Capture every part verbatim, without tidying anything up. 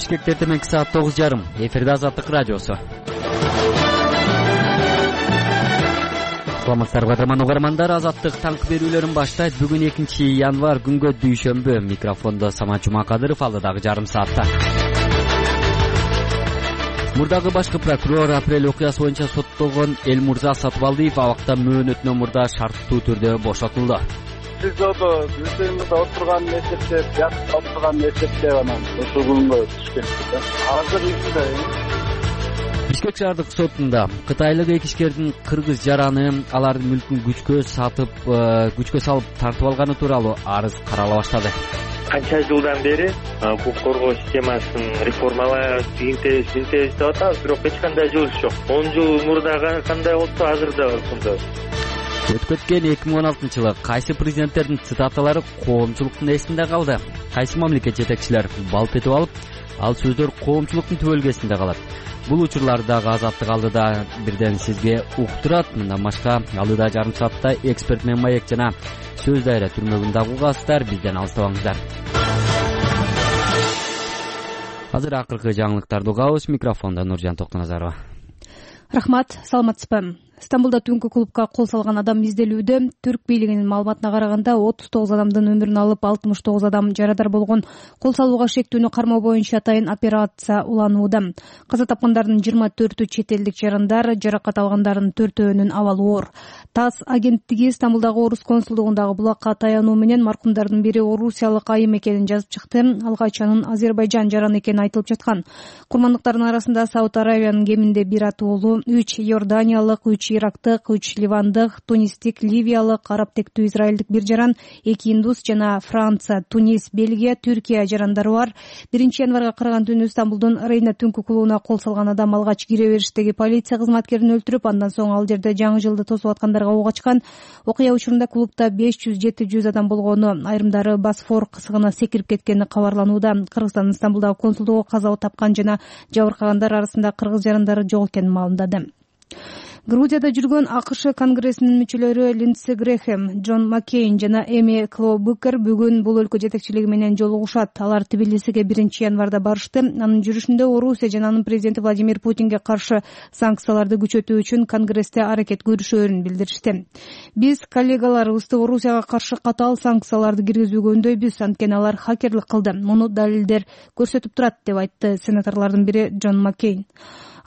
Бишкекте эртең саат тогуз жарым. Эфирде Азаттык радиосу. Саламатсыздарбы кадырман угармандар, Азаттык таңкы берүүлөрүн баштайт. Бүгүн экинчи январь, күнгө дүйшөмбү. Микрофондо Самат Жумакадыров, алдыдагы жарым саатта. Мурдагы башкы прокурор апрель окуясы боюнча соттолгон Элмурза Сатыбалдиев абакта мөөнөтүнөн мурда шарттуу түрдө бошотулду. СИЗОдо өздөрүңүз отурганын эсептеп, жакшы отурганын эсептеп анан ушул күнгө түшкөн. Азыр иште Бишкек шаардык сотунда кытайлык экичкердин кыргыз жараны алардын мүлкүн күчкө сатып, күчкө салып тартып алганы тууралуу арыз карала баштады. Канча жылдан бери укук коргоо системасын реформалап, тигинтебиз, бинтебиз деп атабыз, бирок эч кандай жылыш жок. он жыл мурда кандай болсо азыр да ошондой. Өтүп өткөн эки миң он алтынчы жылы кайсы президенттердин цитаталары коомчулуктун эсинде калды? Кайсы мамлекет жетекчилер балп этип алып, ал сөздөр коомчулуктун түбөлгесинде калат? Бул учурлардагы Азаттык алдыда бирден сизге уктурат. Мындан башка алдыда жарым саатта эксперт менен маек жана сөз дайра түрмөгүн дагы угасыздар. Бизден алыстабаңыздар. Азыр акыркы жаңылыктарды угабыз. Микрофондо Нуржан Токтоназарова. Рахмат, саламатсызбы? Стамбулда түнкү клубка кол салган адам изделүүдө. Түрк бийлигинин маалыматына караганда отуз тогуз адамдын өмүрүн алып, алтымыш тогуз адам жарадар болгон. Кол салууга шектүүнү кармоо боюнча атайын операция уланууда. Каза тапкандардын жыйырма төртү чет элдик жарандар, жаракат алгандардын төртөөнүн абалы оор. ТАСС агенттиги Стамбулдагы орус консулдугундагы булакка таянуу менен маркумдардын бири орусиялык айым экенин жазып чыкты. Алгач анын Азербайжан жараны экени айтылып жаткан. Курмандыктардын арасында Сауд Аравиянын кеминде бир атуулу, үч Иорданиялык, үч Ирактык, үч Ливандык, Тунистик, Ливиялык, араб тектүү израилдик бир жаран, эки индус жана Франция, Тунис, Бельгия, Түркия жарандары бар. биринчи январга караган түнү Стамбулдун Рейна түнкү клубуна кол салган адам алгач кире бериштеги полиция кызматкерин өлтүрүп, андан соң ал жерде жаңы жылды тосуп аткандарга ок ачкан. Окуя учурунда клубда беш жүз жети жүз адам болгону, айрымдары Босфор кысыгына секирип кеткени кабарланууда. Кыргызстандын Стамбулдагы консулдугу каза тапкан жана жабыркагандар арасында кыргыз жарандары жок экенин маалымдады. Грузияда жүргөн АКШ конгрессинин мүчөлөрү Линдси Грэхэм, Джон Маккейн жана Эми Клобукер бүгүн бул өлкө жетекчилиги менен жолугушат. Алар Тбилисиге биринчи январда барышты. Анын жүрүшүндө Орусия жана анын президенти Владимир Путинге каршы санкцияларды күчөтүү үчүн конгрессте аракет көрүшөөрүн билдиришти. Биз коллегаларыбызды Орусияга каршы катаал санкцияларды киргизүүгө үндөйбүз, анткени алар хакерлик кылды. Муну далилдер көрсөтүп турат, деп айтты сенаторлордун бири Джон Маккейн.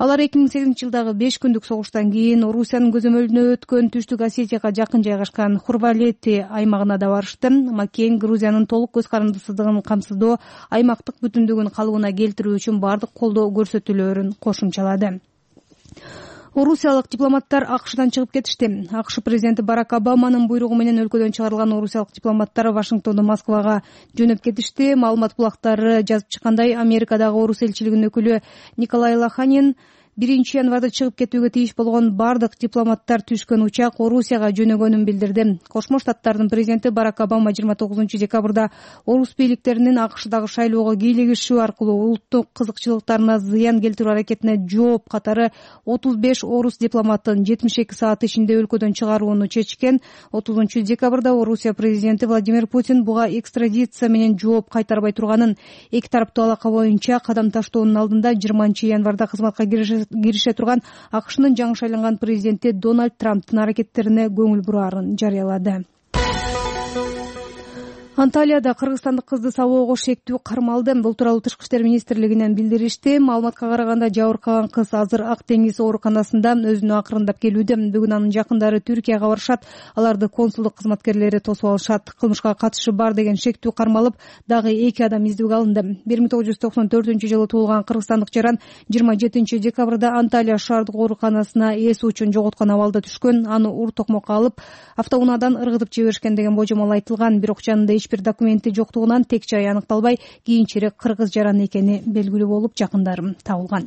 Алар эки миң сегизинчи жылдагы беш күндүк согуштан кийин Орусиянын көзөмөлүнө өткөн Түштүк Осетияга жакын жайгашкан Хурвалети аймагына да барышты. Маккейн Грузиянын толук көз карандысыздыгын камсыздоо, аймактык бүтүндүгүн калыбына келтирүү үчүн бардык колдоо көрсөтүүлөрүн кошумчалады. Орусиялык дипломаттар АКШдан чыгып кетишти. АКШ президенти Барак Обаманын буйругу менен өлкөдөн чыгарылган орусиялык дипломаттар Вашингтондон Москвага жөнөп кетишти. Маалымат булактары жазып чыккандай, Америкадагы орус элчилигинин өкүлү Николай Лоханин биринчи январда чыгып кетүүгө тийиш болгон бардык дипломаттар түшкөн учак Орусияга жөнөгөнүн билдирди. Кошмо Штаттардын президенти Барак Обама жыйырма тогузунчу декабрда орус бийликтеринин АКШдагы шайлоого кийлигишүү аркылуу улуттук кызыкчылыктарына зыян келтирүү аракетине жооп катары отуз беш орус дипломатын жетимиш эки саат ичинде өлкөдөн чыгарууну чечкен. отузунчу декабрда Орусия президенти Владимир Путин буга экстрадиция менен жооп кайтарбай турганын, эки тараптуу алака боюнча кадам таштоонун алдында жыйырманчы январда кызматка кирише турган АКШнын жаңы шайланган президенти Дональд Трамптын аракеттерине көңүл бурарын жарыялады. Анталияда кыргызстандык кызды сабоого шектүү кармалды. Бул тууралуу Тышкы иштер министрлигинен билдиришти. Маалыматка караганда жабыркаган кыз азыр Ак деңиз ооруканасында өзүнө акырындап келүүдө. Бүгүн анын жакындары Түркияга барышат. Аларды консулдук кызматкерлери тосуп алышат. Кылмышка катышы бар деген шектүү кармалып, дагы эки адам издөөгө алынды. бир миң тогуз жүз токсон төртүнчү жылы туулган кыргызстандык жаран жыйырма жетинчи декабрда Анталия шаардык ооруканасына эс учун жоготкон абалда түшкөн. Аны ур токмокко алып, автоунаадан ыргытып жиберишкен деген божомол айтылган. Бирок жанында эч бир документи жоктугунан тек жай аныкталбай, кийинчерээк кыргыз жараны экени белгилүү болуп, жакындары табылган.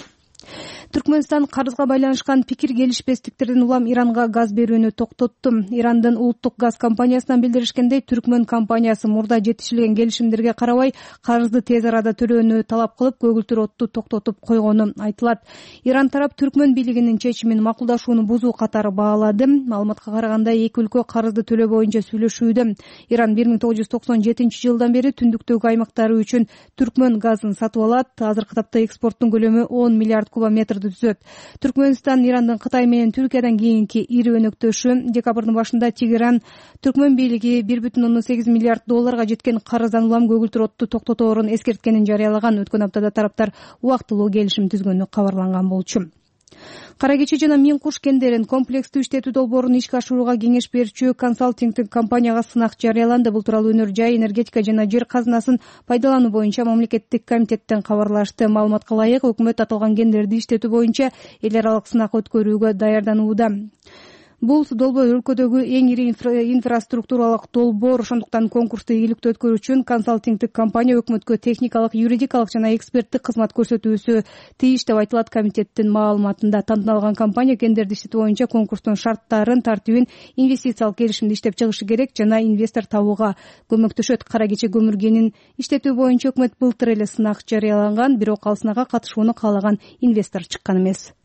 Түркмөнстан карызга байланышкан пикир келишпестиктерден улам Иранга газ берүүнү токтотту. Ирандын улуттук газ компаниясынан билдиришкендей, Түркмөн компаниясы мурда жетишилген келишимдерге карабай карызды тез арада төлөөнү талап кылып, көгүлтүр отту токтотуп койгону айтылат. Иран тарап Түркмөн бийлигинин чечимин макулдашууну бузуу катары баалады. Маалыматка караганда, эки өлкө карызды төлөө боюнча сүйлөшүүдө. Иран бир миң тогуз жүз токсон жетинчи жылдан бери түндүктөгү аймактары үчүн Түркмөн газын сатып алат. Азыркы тапта экспорттун көлөмү он миллиард кубометрди түзөт. Түркмөнстан Ирандын Кытай менен Түркиядан кийинки ири өнөктөшү. Декабрдын башында Тегеран Түркмөн бийлиги бир бүтүн ондон сегиз миллиард долларга жеткен карыздан улам көгүлтүр отту токтоторун эскерткенин жарыялаган. Өткөн аптада тараптар убактылуу келишим түзгөнү кабарланган болчу. Кара кечи жана Миң куш кендерин комплекстүү иштетүү долбоорун ишке ашырууга кеңеш берүүчү консалтингдик компанияга сынак жарыяланды. Бул тууралуу Өнөр жай, энергетика жана жер казынасын пайдалануу боюнча мамлекеттик комитеттен кабарлашты. Маалыматка ылайык, өкмөт аталган кендерди иштетүү боюнча эл аралык сынак өткөрүүгө даярданууда. Бул долбоор өлкөдөгү эң ири инфраструктуралык долбоор. Ошондуктан конкурсту ийгиликтүү өткөрүү үчүн консалтингдик компания өкмөткө техникалык, юридикалык жана эксперттик кызмат көрсөтүүсү тийиш деп айтылат комитеттин маалыматында. Тандалган компания кендерди иштетүү боюнча конкурстун шарттарын, тартибин, инвестициялык келишимди иштеп чыгышы керек жана инвестор табууга көмөктөшөт. Кара кечи көмүр кенин иштетүү боюнча өкмөт былтыр эле сынак жарыялаган, бирок ал сынакка катышууну каалаган инвестор чыккан эмес.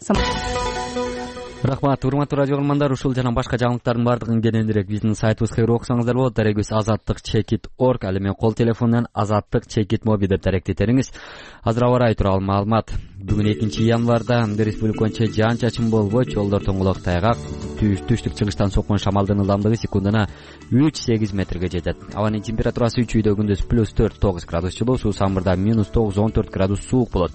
Рахмат, урматтуу радио көрөрмандар. Ушул жана башка жаңылыктардын баардыгын кененирээк биздин сайтыбызга окусаңыздар болот. Дарегибиз азаттык чекит точка орг. Ал эми кол телефонунан азаттык чекит моби деп даректетериңиз. Азыр аба ырайы тууралуу маалымат. Бүгүн экинчи январда республика боюнча жаан-чачын болбойт. Жолдор тоңголок тайгак. Түштүк чыгыштан соккон шамалдын ылдамдыгы секундуна үч сегиз метрге жетет. Абанын температурасы үч үйдө күндүз плюс төрт тогуз градус жылуу, суу самбырда минус тогуз он төрт градус суук болот.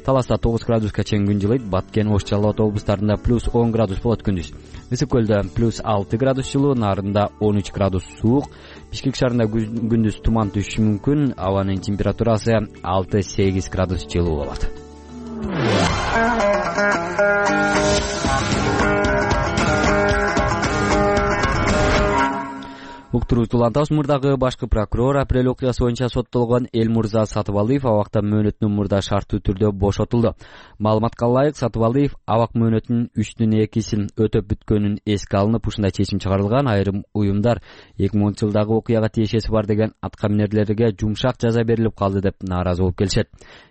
Таласта тогуз градуска чейин күн жылыйт. Баткен, Ош, Жалал Абад облустарында плюс он градус болот күндүз. Ысык көлдө плюс алты градус жылуу, Нарында он үч градус суук. Бишкек шаарында күндүз туман түшүшү мүмкүн. Абанын температурасы алты сегиз градус жылуу болот. Уктуруучу улантабыз. Мурдагы башкы прокурор апрель окуясы боюнча соттолгон Элмурза Сатыбалыев абакта мөөнөтүнөн мурда шарттуу түрдө бошотулду. Маалыматка ылайык, Сатыбалыев абак мөөнөтүнүн үчтөн экисин өтөп бүткөнүн эске алынып, ушундай чечим чыгарылган. Айрым уюмдар эки миң онунчу жылдагы окуяга тиешеси бар деген аткаминерлерге жумшак жаза берилип калды деп нааразы болуп келишет.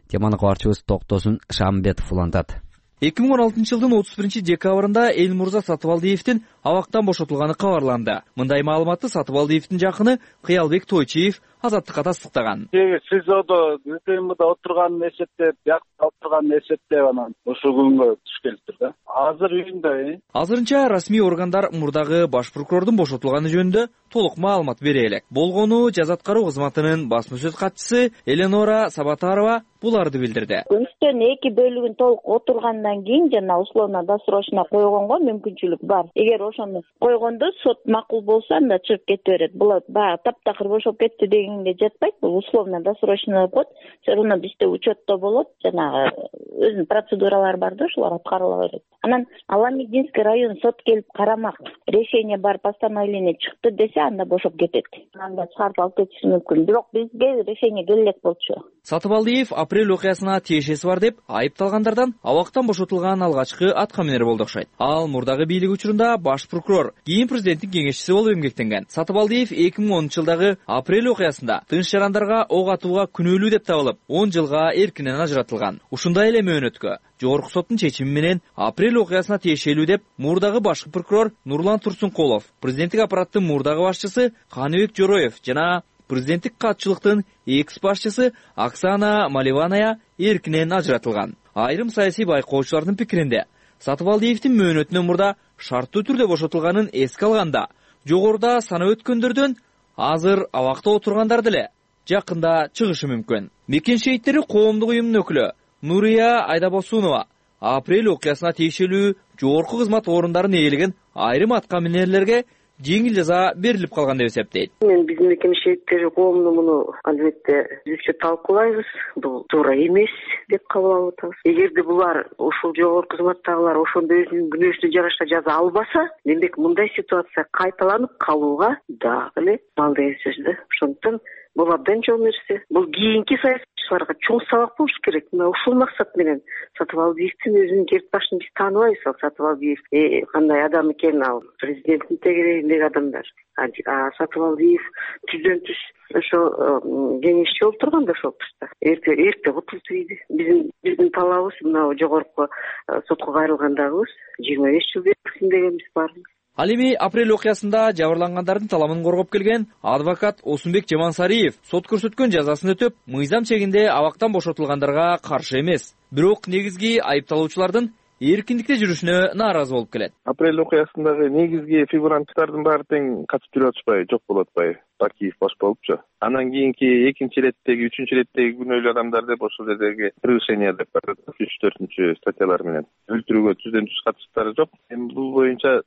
Теманы кабарчыбыз Токтосун Шамбетов улантат. эки миң он алтынчы жылдын отуз биринчи декабрында Элмурза Сатыбалдиевдин абактан бошотулганы кабарланды. Мындай маалыматты Сатыбалдиевдин жакыны Кыялбек Тойчиев азаттыкка тастыктаган. СИЗОдо ТМда отурганын эсептеп, биякта отурганын эсептеп анан ошол күнгө туш келиптир да. Азыр үйүндө. Азырынча расмий органдар мурдагы баш прокурордун бошотулганы жөнүндө толук маалымат бере элек. Болгону жаза аткаруу кызматынын басма сөз катчысы Эленора Сабатарова буларды билдирди. Үчтөн эки бөлүгүн толук отургандан кийин жана условно-досрочно койгонго мүмкүнчүлүк бар. Эгер ошону койгондо сот макул болсо, анда чыгып кете берет. Бул баягы таптакыр бошоп кетти дегенге жатпайт. Бул условно-досрочно деп коет. Все равно бизде учетто болот. Жанагы өзүнүн процедуралары бар да, ошолор аткарыла берет. Анан Аламединский район сот келип карамак, решение бар, постановление чыкты десе, анда бошоп кетет. Анда чыгарып алып кетиши мүмкүн. Бирок бизге решение келе элек болчу. Сатыбалдиев апрель окуясына тиешеси бар деп айыпталгандардан абактан бошотулган алгачкы аткаминер болду окшойт. Ал мурдагы бийлик учурунда баш прокурор, кийин президенттин кеңешчиси болуп эмгектенген. Сатыбалдиев эки миң онунчу жылдагы апрель окуясында тынч жарандарга ок атууга күнөөлүү деп табылып, он жылга эркинен ажыратылган. Ушундай эле мөөнөткө жогорку соттун чечими менен апрель окуясына тиешелүү деп мурдагы башкы прокурор Нурлан Турсункулов, президенттик аппараттын мурдагы башчысы Каныбек Жороев жана президенттик катчылыктын экс башчысы Оксана Маливаная эркинен ажыратылган. Айрым саясий байкоочулардын пикиринде Сатыбалдиевдин мөөнөтүнөн мурда шарттуу түрдө бошотулганын эске алганда, жогоруда санап өткөндөрдөн азыр абакта отургандар деле жакында чыгышы мүмкүн. Мекен шейиттери коомдук уюмунун өкүлү Нурия Айдабосунова апрель окуясына тиешелүү жогорку кызмат орундарын ээлеген айрым аткаминерлерге жеңил жаза берилип калган деп эсептейт. Мен биздин мекен шейиттери коомду муну албетте түзүкчө талкуулайбыз. Бул туура эмес деп кабыл алып атабыз. Эгерде булар ушул жогорку кызматтагылар ошондо өзүнүн күнөөсүнө жараша жаза албаса, демек мындай ситуация кайталанып калууга дагы эле мал деген сөз да. Ошондуктан бул абдан чоң нерсе. Бул кийинки саясатчы катышуучуларга чоң сабак болуш керек. Мына ушул максат менен Сатыбалдиевдин өзүнүн керт башын биз тааныбайбыз. Ал Сатыбалдиев кандай адам экен, ал президенттин тегерегиндеги адамдар. А Сатыбалдиев түздөн түз ошо кеңешчи болуп турган да ошол тушта. Эрте эрте кутулду дейди. Биздин биздин талабыбыз мына жогорку сотко кайрылгандагыбыз жыйырма беш жыл берилсин дегенбиз баарыбыз. Ал эми апрель окуясында жабырлангандардын таламын коргоп келген адвокат Осунбек Жамансариев сот көрсөткөн жазасын өтөп, мыйзам чегинде абактан бошотулгандарга каршы эмес. Бирок негизги айыпталуучулардын эркиндикте жүрүшүнө нааразы болуп келет. Апрель окуясындагы негизги фигуранттардын баары тең катышып жүрүп атышпайбы, жок болуп атпайбы? Бакиев баш болупчу. Анан кийинки экинчи иреттеги, үчүнчү иреттеги күнөөлүү адамдар деп ошол жердеги превышение деп бар, үч төртүнчү статьялар менен өлтүрүүгө түздөн түз катыштыктары жок. Эми бул боюнча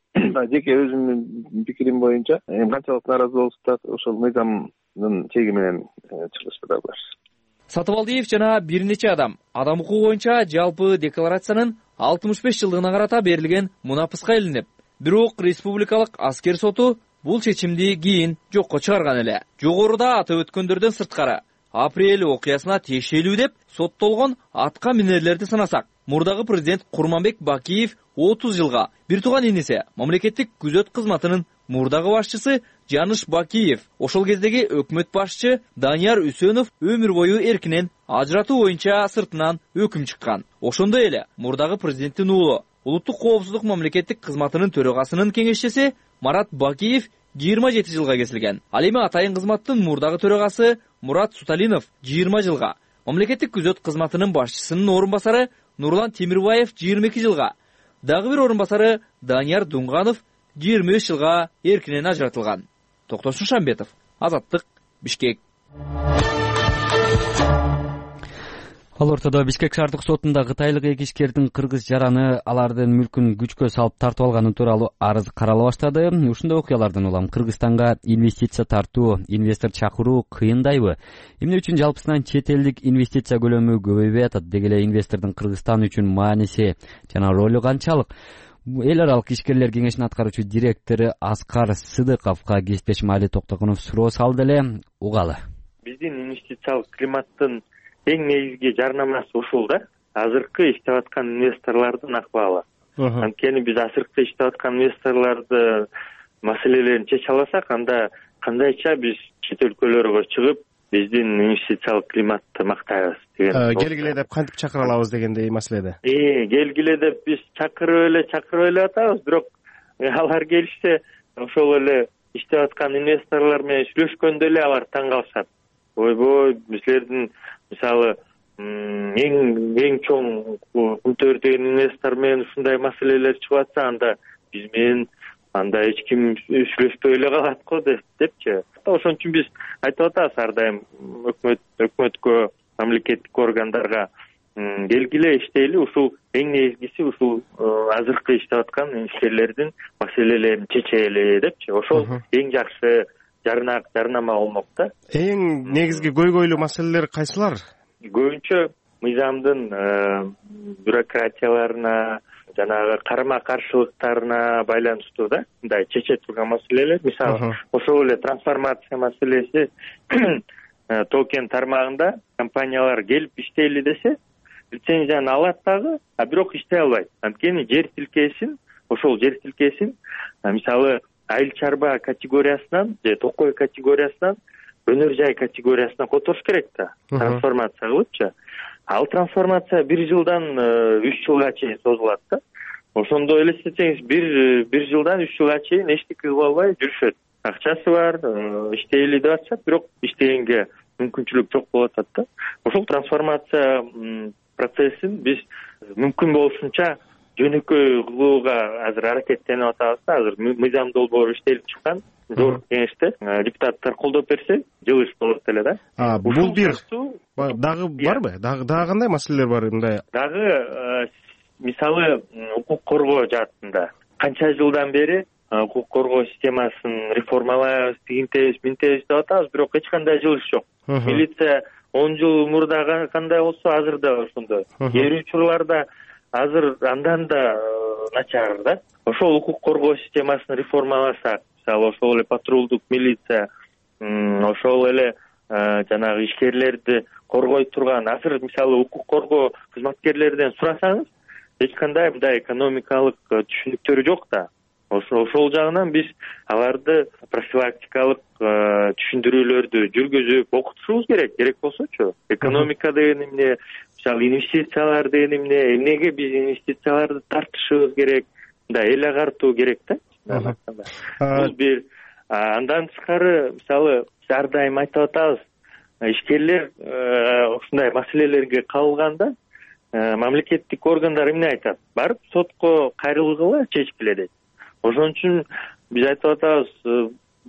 жеке өзүмдүн пикирим боюнча канчалык нааразы болсо да ошол мыйзамдын чеги менен чыгышты да булар. Сатыбалдиев жана бир нече адам адам укугу боюнча жалпы декларациянын алтымыш беш жылдыгына карата берилген мунапыска илинип, бирок республикалык аскер соту бул чечимди кийин жокко чыгарган эле. Жогоруда атап өткөндөрдөн сырткары апрель окуясына тиешелүү деп соттолгон атка минерлерди санасак, мурдагы президент Курманбек Бакиев отуз жылга, бир тууган иниси мамлекеттик күзөт кызматынын мурдагы башчысы Жаныш Бакиев, ошол кездеги өкмөт башчы Данияр Үсөнов өмүр бою эркинен ажыратуу боюнча сыртынан өкүм чыккан. Ошондой эле мурдагы президенттин уулу, улуттук коопсуздук мамлекеттик кызматынын төрагасынын кеңешчиси Марат Бакиев жыйырма жети жылга кесилген. Ал эми атайын кызматтын мурдагы төрагасы Мурат Суталинов жыйырма жылга, мамлекеттик күзөт кызматынын башчысынын орун басары Нурлан Темирбаев жыйырма эки жылга, дагы бир орун басары Данияр Дунганов жыйырма үч жылга эркинен ажыратылган. Токтосун Шамбетов, Азаттык, Бишкек. Ал ортодо Бишкек шаардык сотунда кытайлык эки ишкердин кыргыз жараны алардын мүлкүн күчкө салып тартып алганы тууралуу арыз карала баштады. Ушундай окуялардан улам Кыргызстанга инвестиция тартуу, инвестор чакыруу кыйындайбы? Эмне үчүн жалпысынан чет элдик инвестиция көлөмү көбөйбөй атат? Деги эле инвестордун Кыргызстан үчүн мааниси жана ролу канчалык? Эл аралык ишкерлер кеңешинин аткаруучу директору Аскар Сыдыковго кесиптешим Али Токтогунов суроо салды эле, угалы. Биздин инвестициялык климаттын эң негизги жарнамасы ушул да. Азыркы иштеп аткан инвесторлордун акыбалы. Анткени биз азыркы иштеп аткан инвесторлорду маселелерин чече алсак, анда кандайча биз чет өлкөлөргө чыгып, биздин инвестициялык климатты мактайбыз деген. Келгиле деп кантип чакыра алабыз дегендей маселеде. Э, келгиле деп биз чакырып эле чакырып эле атабыз, бирок алар келишсе, ошол эле иштеп аткан инвесторлор менен сүйлөшкөндө эле алар таң калышат. Ойбой, bizlerden misалы эң эң чоң күнтөр деген инвестор менен ушундай маселелер чыгып атса, анда биз менен анда эч ким сүйлөшпөй эле калат го депчи. Ошон үчүн биз айтып атабыз ар дайым өкмөт өкмөткө, мамлекеттик органдарга келгиле иштейли, ушул эң негизгиси ушул азыркы иштеп аткан ишкерлердин маселелерин чечели депчи. Ошол эң жакшы жарнак жарнама болмок да. Эң негизги көйгөйлүү маселелер кайсылар? Көбүнчө мыйзамдын бюрократияларына, жанагы карама каршылыктарына байланыштуу да. Мындай чече турган маселелер, мисалы, ошол эле трансформация маселеси токен тармагында компаниялар келип иштейли десе, лицензияны алат дагы, а бирок иштей албайт. Анткени жер тилкесин, ошол жер тилкесин, мисалы, айыл чарба категориясынан же токой категориясынан өнөр жай категориясына которуш керек да, трансформация кылыпчы. Ал трансформация бир жылдан үч жылга чейин созулат да. Ошондо элестетсеңиз, бир бир жылдан үч жылга чейин эчтеке кыла албай жүрүшөт. Акчасы бар, иштейли деп атышат, бирок иштегенге мүмкүнчүлүк жок болуп атат да. Ошол трансформация процессин биз мүмкүн болушунча жөнөкөй кылууга азыр аракеттенип атабыз да. Азыр мыйзам долбоору иштелип чыккан, жогорку кеңеште депутаттар колдоп берсе, жылы иш болот эле да. А, бул бир дагы барбы? Дагы дагы кандай маселелер бар мындай? Дагы мисалы укук коргоо жаатында канча жылдан бери укук коргоо системасын реформалайбыз, тигинтебиз, минтебиз деп атабыз, бирок эч кандай жылы иш жок. Милиция он жыл мурда кандай болсо, азыр да ошондой. Жер учурларда азыр андан да начар да. Ошол укук коргоо системасын реформаласак, мисалы ошол эле патрулдук милиция, ошол эле жанагы ишкерлерди коргой турган азыр мисалы укук коргоо кызматкерлерден сурасаңыз эч кандай мындай экономикалык түшүнүктөрү жок да. Ошол жагынан биз аларды профилактикалык түшүндүрүүлөрдү жүргүзүп окутушубуз керек. Керек болсочу экономика деген эмне, мисалы инвестициялар деген эмне, эмнеге биз инвестицияларды тартышыбыз керек, мындай эл агартуу керек да. Бул бир. Андан тышкары мисалы биз ар дайым айтып атабыз, ишкерлер ушундай маселелерге кабылганда мамлекеттик органдар эмне айтат? Барып сотко кайрылгыла чечкиле дейт. Ошон үчүн биз айтып атабыз,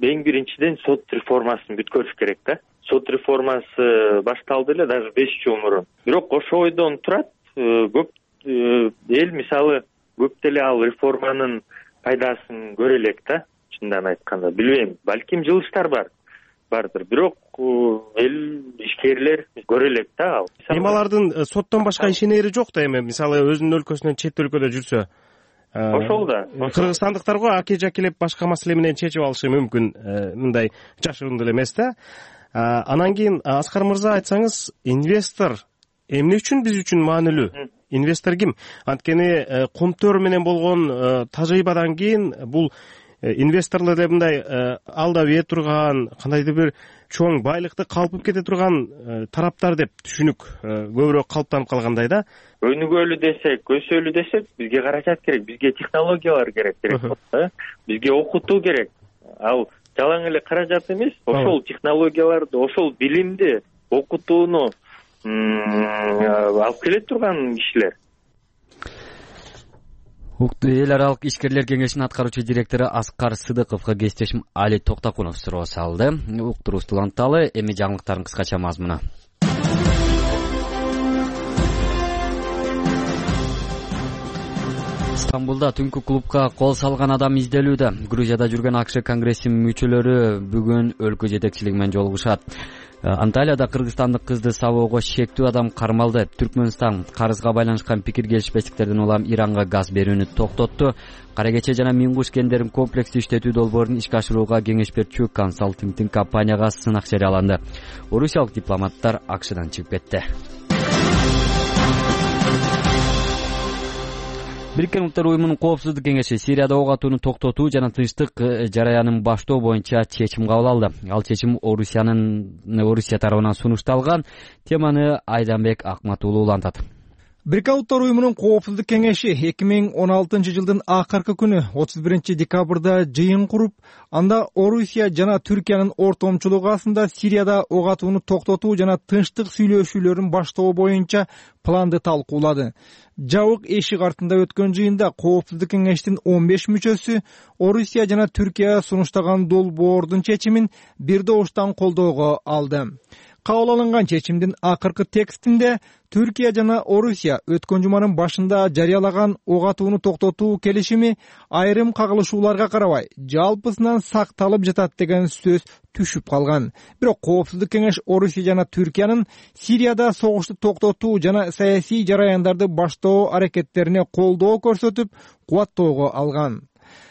эң биринчиден сот реформасын бүткөрүш керек да. Сот реформасы башталды эле даже беш жыл мурун. Бирок ошол ойдон турат, көп эл мисалы көп деле ал реформанын пайдасын көрө элек да. Чындан айтканда, билбейм, балким жылыштар бар. Бардыр. Бирок эл ишкерлер көрө элек да ал. Эми алардын соттон башка ишенери жок да эми, мисалы өзүнүн өлкөсүнөн чет өлкөдө жүрсө. Ошол да. Кыргызстандыктарга аке жакелеп башка маселе менен чечип алышы мүмкүн, мындай жашыруун деле эмес да. Анан кийин Аскар мырза айтсаңыз, инвестор эмне үчүн биз үчүн маанилүү? Инвестор ким? Анткени Кумтөр менен болгон тажрыйбадан кийин бул инвесторлор деп мындай алда бие турган, кандайдыр бир чоң байлыкты калпып кете турган тараптар деп түшүнүк көбүрөөк калыптанып калгандай да. Өнүгөлү десек, өсөлү десек, бизге каражат керек, бизге технологиялар керек керек болот да. Бизге окутуу керек. Ал жалаң эле каражат эмес, ошол технологияларды, ошол билимди, окутууну алып келе турган кишилер. Эл аралык ишкерлер кеңешинин аткаруучу директору Аскар Сыдыковго кесиптешим Али Токтакунов суроо салды. Уктурубузду уланталы, эми жаңылыктардын кыскача мазмуну. Стамбулда түнкү клубка кол салган адам изделүүдө. Грузияда жүргөн АКШ конгрессинин мүчөлөрү бүгүн өлкө жетекчилиги менен жолугушат. Анталияда кыргызстандык кызды сабоого шектүү адам кармалды. Түркмөнстан карызга байланышкан пикир келишпестиктерден улам Иранга газ берүүнү токтотту. Кара кече жана Миңгуш кендерин комплекстүү иштетүү долбоорун ишке ашырууга кеңеш берчү консалтингдин компанияга сынак жарыяланды. Орусиялык дипломаттар АКШдан чыгып кетти. Бириккен Улуттар Уюмунун Коопсуздук кеңеши Сирияда ок атууну токтотуу жана тынчтык жараянын баштоо боюнча чечим кабыл алды. Ал чечим Орусиянын Орусия тарабынан сунушталган. Теманы Айданбек Акматуулу улантат. Бириккен Улуттар Уюмунун Коопсуздук кеңеши эки миң он алтынчы жылдын акыркы күнү отуз биринчи декабрда жыйын куруп, анда Орусия жана Түркиянын ортомчулугу астында Сирияда ок атууну токтотуу жана тынчтык сүйлөшүүлөрүн баштоо боюнча планды талкуулады. Жабык эшик артында өткөн жыйында Коопсуздук кеңештин он беш мүчөсү Орусия жана Түркия сунуштаган долбоордун чечимин бир добуштан колдоого алды. Кабыл алынган чечимдин акыркы текстинде Түркия жана Орусия өткөн жуманын башында жарыялаган ок атууну токтотуу келишими айрым кагылышууларга карабай жалпысынан сакталып жатат деген сөз түшүп калган. Бирок Коопсуздук кеңеш Орусия жана Түркиянын Сирияда согушту токтотуу жана саясий жараяндарды баштоо аракеттерине колдоо көрсөтүп, кубаттоого алган.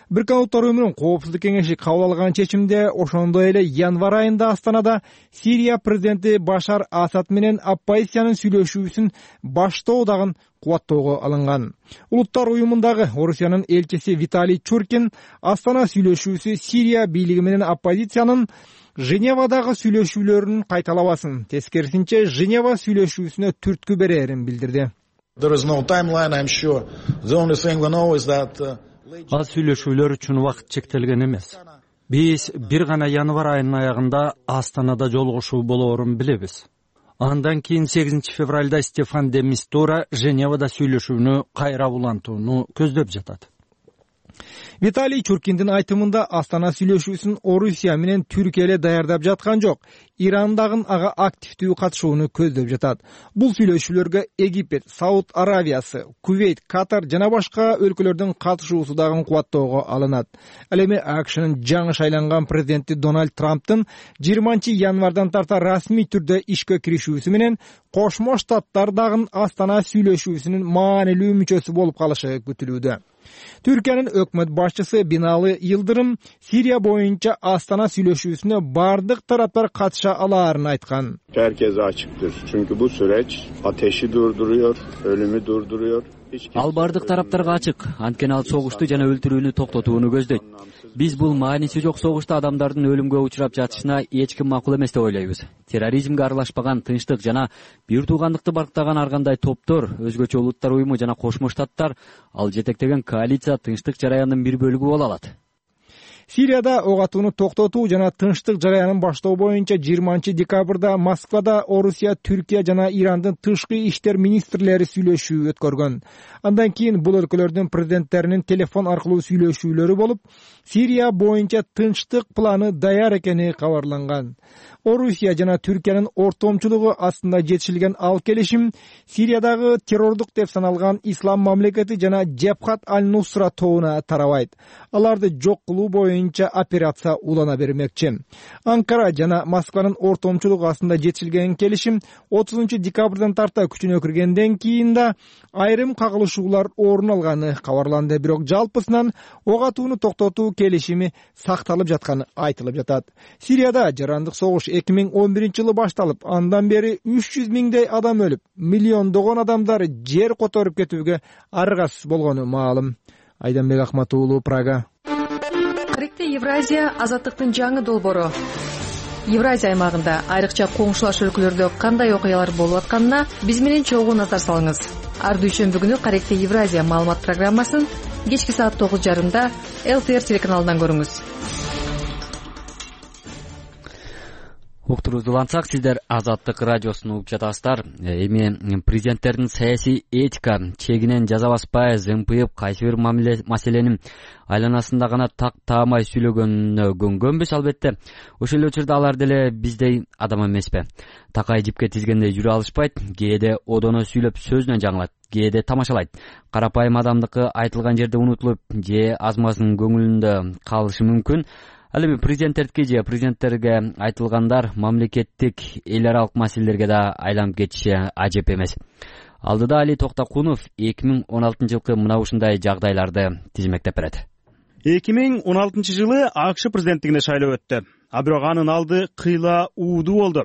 Бириккен Улуттар Уюмунун Коопсуздук кеңеши кабыл алган чечимде ошондой эле январь айында Астанада Сирия президенти Башар Асад менен оппозициянын сүйлөшүүсүн баштоо дагы кубаттоого алынган. Улуттар Уюмундагы Орусиянын элчиси Виталий Чуркин Астана сүйлөшүүсү Сирия бийлиги менен оппозициянын Женевадагы сүйлөшүүлөрүн кайталабасын, тескерисинче Женева сүйлөшүүсүнө түрткү берерин билдирди. Ал сүйлөшүүлөр үчүн убакыт чектелген эмес. Биз бир гана январь айынын аягында Астанада жолугушуу болоорун билебиз. Андан кийин сегизинчи февралда Стефан де Мистура Женевада сүйлөшүүнү кайра улантууну көздөп жатат. Виталий Чуркиндин айтымында Астана сүйлөшүүсүн Орусия менен Түркия эле даярдап жаткан жок. Иран дагы ага активдүү катышууну көздөп жатат. Бул сүйлөшүүлөргө Египет, Сауд Аравиясы, Кувейт, Катар жана башка өлкөлөрдүн катышуусу дагы кубаттоого алынат. Ал эми АКШнын жаңы шайланган президенти Дональд Трамптын жыйырманчы январдан тарта расмий түрдө ишке киришүүсү менен Кошмо Штаттар дагы Астана сүйлөшүүсүнүн маанилүү мүчөсү болуп калышы күтүлүүдө. Түркиянын өкмөт башчысы Бинали Йылдырым Сирия боюнча Астана сүйлөшүүсүнө бардык тараптар катыша алаарын айткан. Herkese açıktır. Çünkü bu süreç ateşi durduruyor, ölümü durduruyor. Ал бардык тараптарга ачык, анткени ал согушту жана өлтүрүүнү токтотууну көздөйт. Биз бул мааниси жок согушта адамдардын өлүмгө учурап жатышына эч ким макул эмес деп ойлойбуз. Терроризмге аралашпаган, тынчтык жана бир туугандыкты барктаган ар кандай топтор, өзгөчө улуттар уюму жана Кошмо Штаттар, ал жетектеген коалиция тынчтык жараянынын бир бөлүгү боло алат. Сирияда ок атууну токтотуу жана тынчтык жараянын баштоо боюнча жыйырманчы декабрда Москвада Орусия, Түркия жана Ирандын тышкы иштер министрлери сүйлөшүү өткөргөн. Андан кийин бул өлкөлөрдүн президенттеринин телефон аркылуу сүйлөшүүлөрү болуп, Сирия боюнча тынчтык планы даяр экени кабарланган. Орусия жана Түркиянын ортомчулугу астында жетишилген ал келишим Сириядагы террордук деп саналган ислам мамлекети жана Жебхат аль-Нусра тобуна тарабайт. Аларды жок кылуу боюнча операция улана бермекчи. Анкара жана Москванын ортомчулугу астында жетишилген келишим отузунчу декабрдан тарта күчүнө киргенден кийин да айрым кагылышуулар орун алганы кабарланды. Бирок жалпысынан ок атууну токтотуу келишими сакталып жатканы айтылып жатат. Сирияда жарандык согуш эки миң он биринчи жылы башталып, андан бери үч жүз миңдей адам өлүп, миллиондогон адамдар жер которуп кетүүгө аргасыз болгону маалым. Айданбек Ахмат уулу, Прага. Каректе Евразия азаттыктын жаңы долбоору. Евразия аймагында айрыкча коңшулаш өлкөлөрдө кандай окуялар болуп атканына биз менен чогуу назар салыңыз. Ар дүйшөмбү күнү Каректе Евразия маалымат программасын кечки саат тогуз жарымда эл ти эр телеканалынан көрүңүз. Уктурубузду улантсак, сиздер Азаттык радиосун угуп жатасыздар. Эми президенттердин саясий этика чегинен жаза баспай, зымпыйып, кайсы бир маселенин айланасында гана так таамай сүйлөгөнүнө көнгөнбүз, албетте. Ошол эле учурда алар деле биздей адам эмеспи. Такай жипке тизгендей жүрө алышпайт, кээде одоно сүйлөп сөзүнөн жаңылат, кээде тамашалайт. Карапайым адамдыкы айтылган жерде унутулуп, же азмасын көңүлүндө калышы мүмкүн. Ал эми президенттердики же президенттерге айтылгандар мамлекеттик эл аралык маселелерге да айланып кетиши ажеп эмес. Алдыда Али Токтокунов эки миң он алтынчы жылкы мына ушундай жагдайларды тизмектеп берет. эки миң он алтынчы жылы АКШ президенттигине шайлоо өттү. А бирок анын алды кыйла уудуу болду.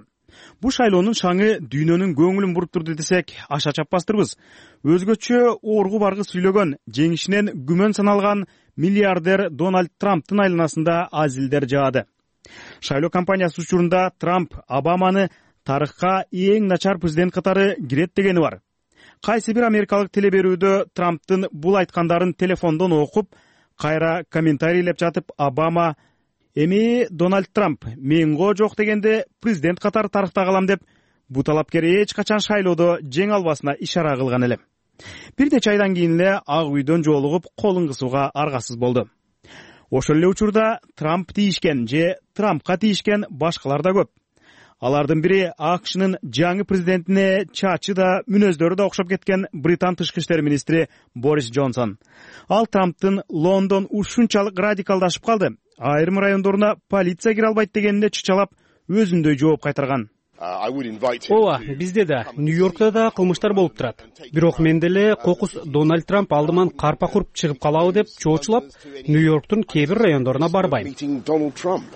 Бул шайлоонун шаңы дүйнөнүн көңүлүн буруп турду десек аша чаппастырбыз. Өзгөчө оргу баргы сүйлөгөн, жеңишинен күмөн саналган миллиардер Дональд Трамптын айланасында азилдер жаады. Шайлоо кампаниясы учурунда Трамп Обаманы тарыхка эң начар президент катары кирет дегени бар. Кайсы бир америкалык телеберүүдө Трамптын бул айткандарын телефондон окуп, кайра комментарийлеп жатып, Обама «Эми Дональд Трамп мен го жок дегенде президент катары тарыхта калам» деп, бул талапкер эч качан шайлоодо жеңе албасына ишара кылган эле. Бир нече айдан кийин эле Ак үйдөн жолугуп, колун кысууга аргасыз болду. Ошол эле учурда Трамп тийишкен же Трампка тийишкен башкалар да көп. Алардын бири АКШнын жаңы президентине чачы да, мүнөздөрү да окшоп кеткен Британ тышкы иштер министри Борис Джонсон. Ал Трамптын Лондон ушунчалык радикалдашып калды, айрым райондоруна полиция кире албайт дегенине чычалап, өзүндөй жооп кайтарган. Ооба, бизде да, Нью-Йоркто да кылмыштар болуп турат. Бирок мен деле кокус Дональд Трамп алдыман карпа куруп чыгып калабы деп чоочулап, Нью-Йорктун кээ бир райондоруна барбайм,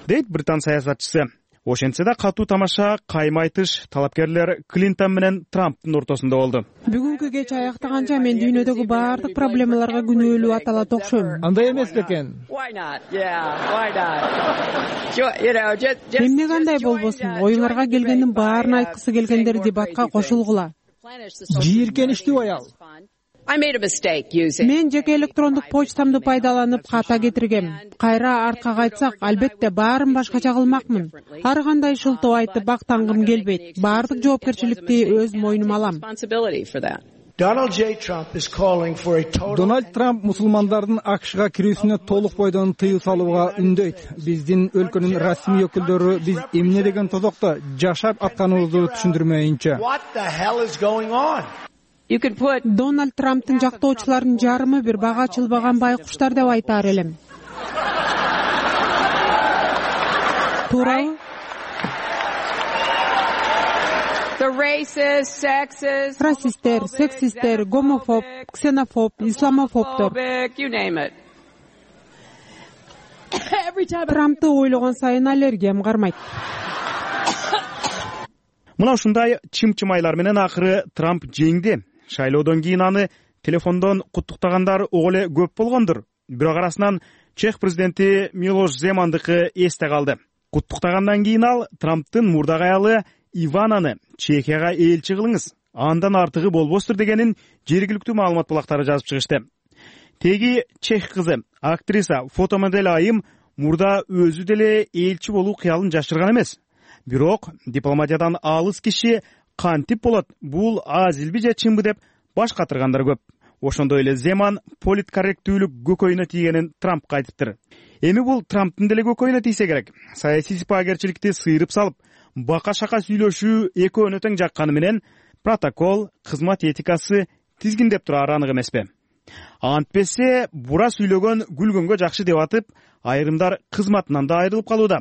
дейт британ саясатчысы. Ошентсе да катуу тамаша каймайтыш талапкерлер Клинтон менен Трамптын ортосунда болду. Бүгүнкү кеч аяктаганча мен дүйнөдөгү баардык проблемаларга күнөөлүү аталат окшойм. Андай эмес бекен? Эмне кандай болбосун, оюңарга келгендин баарын айткысы келгендер дебатка кошулгула. Жийиркеничтүү аял. Мен жеке электрондук почтамды пайдаланып ката кетиргем. Кайра артка кайтсак, албетте баарын башкача кылмакмын. Ар кандай шылтоо айтып актангым келбейт. Баардык жоопкерчиликти өз мойнума алам. Дональд Трамп мусулмандардын АКШга кирүүсүнө толук бойдон тыюу салууга үндөйт. Биздин өлкөнүн расмий өкүлдөрү биз эмне деген тозокто жашап атканыбызды түшүндүрмөйүнчө. Дональд Трамптын жактоочуларынын жарымы бир бага ачылбаган байкуштар деп айтаар элем. Туурабы? расисттер, сексисттер, гомофоб, ксенофоб, исламофобдор. Трампты ойлогон сайын аллергиям кармайт. Мына ушундай чым-чымайлар менен акыры Трамп жеңди. Шайлоодон кийин аны телефондон куттуктагандар ого эле көп болгондур. Бирок арасынан чех президенти Милош Земандыкы эсте калды. Куттуктагандан кийин ал Трамптын мурдагы аялы Ивананы Чехияга элчи кылыңыз, андан артыгы болбостур дегенин жергиликтүү маалымат булактары жазып чыгышты. Теги чех кызы, актриса, фотомодель Айым мурда өзү деле элчи болуу кыялын жашырган эмес. Бирок дипломатиядан алыс киши кантип болот, бул азилби же чынбы деп баш катыргандар көп. Ошондой эле Земан политкорректүүлүк көкөйүнө тийгенин Трампка айтыптыр. Эми бул Трамптын деле көкөйүнө тийсе керек. Саясий сипагерчиликти сыйрып салып, бака-шака сүйлөшүү экөөнө тең жакканы менен протокол, кызмат этикасы тизгиндеп турары анык эмеспи? Антпесе бура сүйлөгөн күлгөнгө жакшы деп атып, айрымдар кызматынан да айрылып калууда.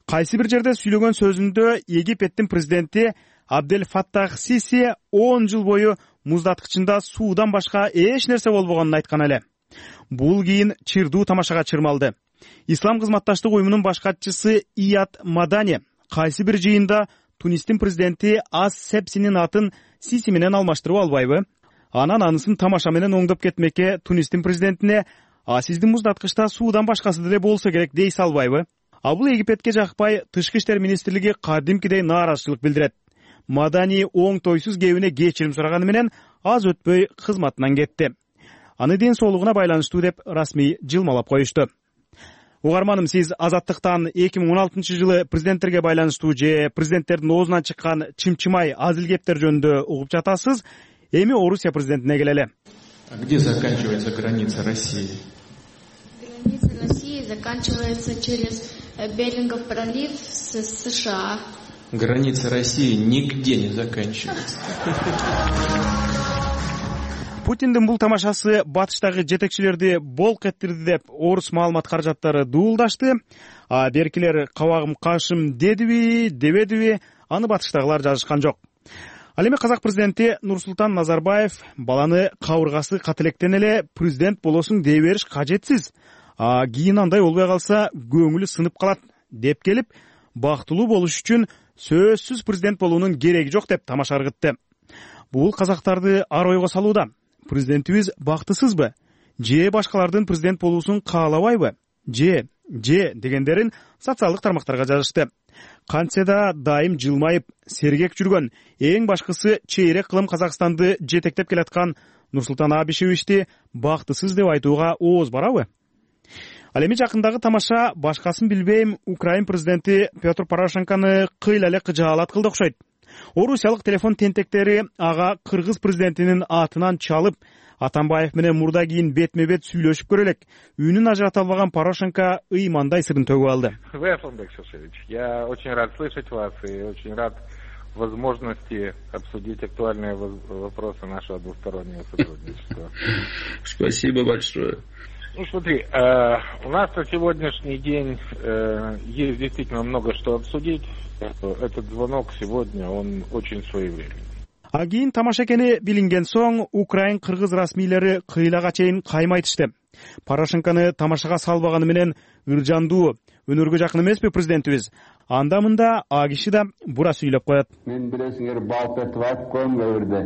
Кайсы бир жерде сүйлөгөн сөзүндө Египеттин президенти Абдель Фаттах Сиси он жыл бою муздаткычында суудан башка эч нерсе болбогонун айткан эле. Бул кийин чырдуу тамашага чырмалды. Ислам кызматташтык уюмунун баш катчысы Ияд Мадани кайсы бир жыйында Тунистин президенти Ас Сепсинин атын Сиси менен алмаштырып албайбы? Анан анысын тамаша менен оңдоп кетмекке Тунистин президентине «А сиздин муздаткычта суудан башкасы деле болсо керек» дей салбайбы? А бул Египетке жакпай Тышкы иштер министрлиги кадимкидей нааразычылык билдирет. Мадани оңтойсуз кебине кечирим сураганы менен аз өтпөй кызматынан кетти. Аны ден соолугуна байланыштуу деп расмий жылмалап коюшту. Угарманым, сиз Азаттыктан эки миң он алтынчы жылы президенттерге байланыштуу же президенттердин оозунан чыккан чымчымай азил кептер жөнүндө угуп жатасыз. Эми Орусия президентине келели. Где заканчивается граница России? Граница России заканчивается через Берингов пролив с США. Граница России нигде не заканчивается. Путиндин бул тамашасы батыштагы жетекчилерди болк эттирди деп орус маалымат каражаттары дуулдашты. А беркилер кабагым кашым дедиби, дебедиби, аны батыштагылар жазышкан жок. Ал эми казак президенти Нурсултан Назарбаев баланы кабыргасы кателектен эле президент болосуң дей бериш кажетсиз. А кийин андай болбой калса көңүлү сынып калат деп келип, бактылуу болуш үчүн сөзсүз президент болуунун кереги жок деп тамаша ыргытты. Бул казактарды ар ойго салууда. Президентибиз бактысызбы? Же башкалардын президент болуусун каалабайбы? Же, же дегендерин социалдык тармактарга жазышты. Кантсе да дайым жылмайып, сергек жүргөн, эң башкысы чейрек кылым Казакстанды жетектеп келаткан Нурсултан Абишевичти бактысыз деп айтууга ооз барабы? Ал эми жакындагы тамаша башкасын билбейм, Украин президенти Петр Порошенкону кыйла эле кыжаалат кылды окшойт. Орусиялык телефон тентектери ага кыргыз президентинин атынан чалып, Атамбаев менен мурда кийин бетме-бет сүйлөшүп көрөлек. Үнүн ажырата албаган Порошенко ыймандай сырын төгүп алды. Вы, Асланбек Шишевич, я очень рад слышать вас и очень рад возможности обсудить актуальные вопросы нашего двустороннего сотрудничества. Спасибо большое. Ну, смотри, э, у нас на сегодняшний день э, есть действительно много что обсудить. Этот звонок сегодня, он очень своевременный. А кийин тамаша экени билинген соң Украин кыргыз расмийлери кыйлага чейин каймайтышты. Порошенкону тамашага салбаганы менен ыржандуу, өнөргө жакын эмеспи президентибиз? Анда мында а киши да бура сүйлөп коет. Мен билесиңер балп этип айтып коем көбүрдө.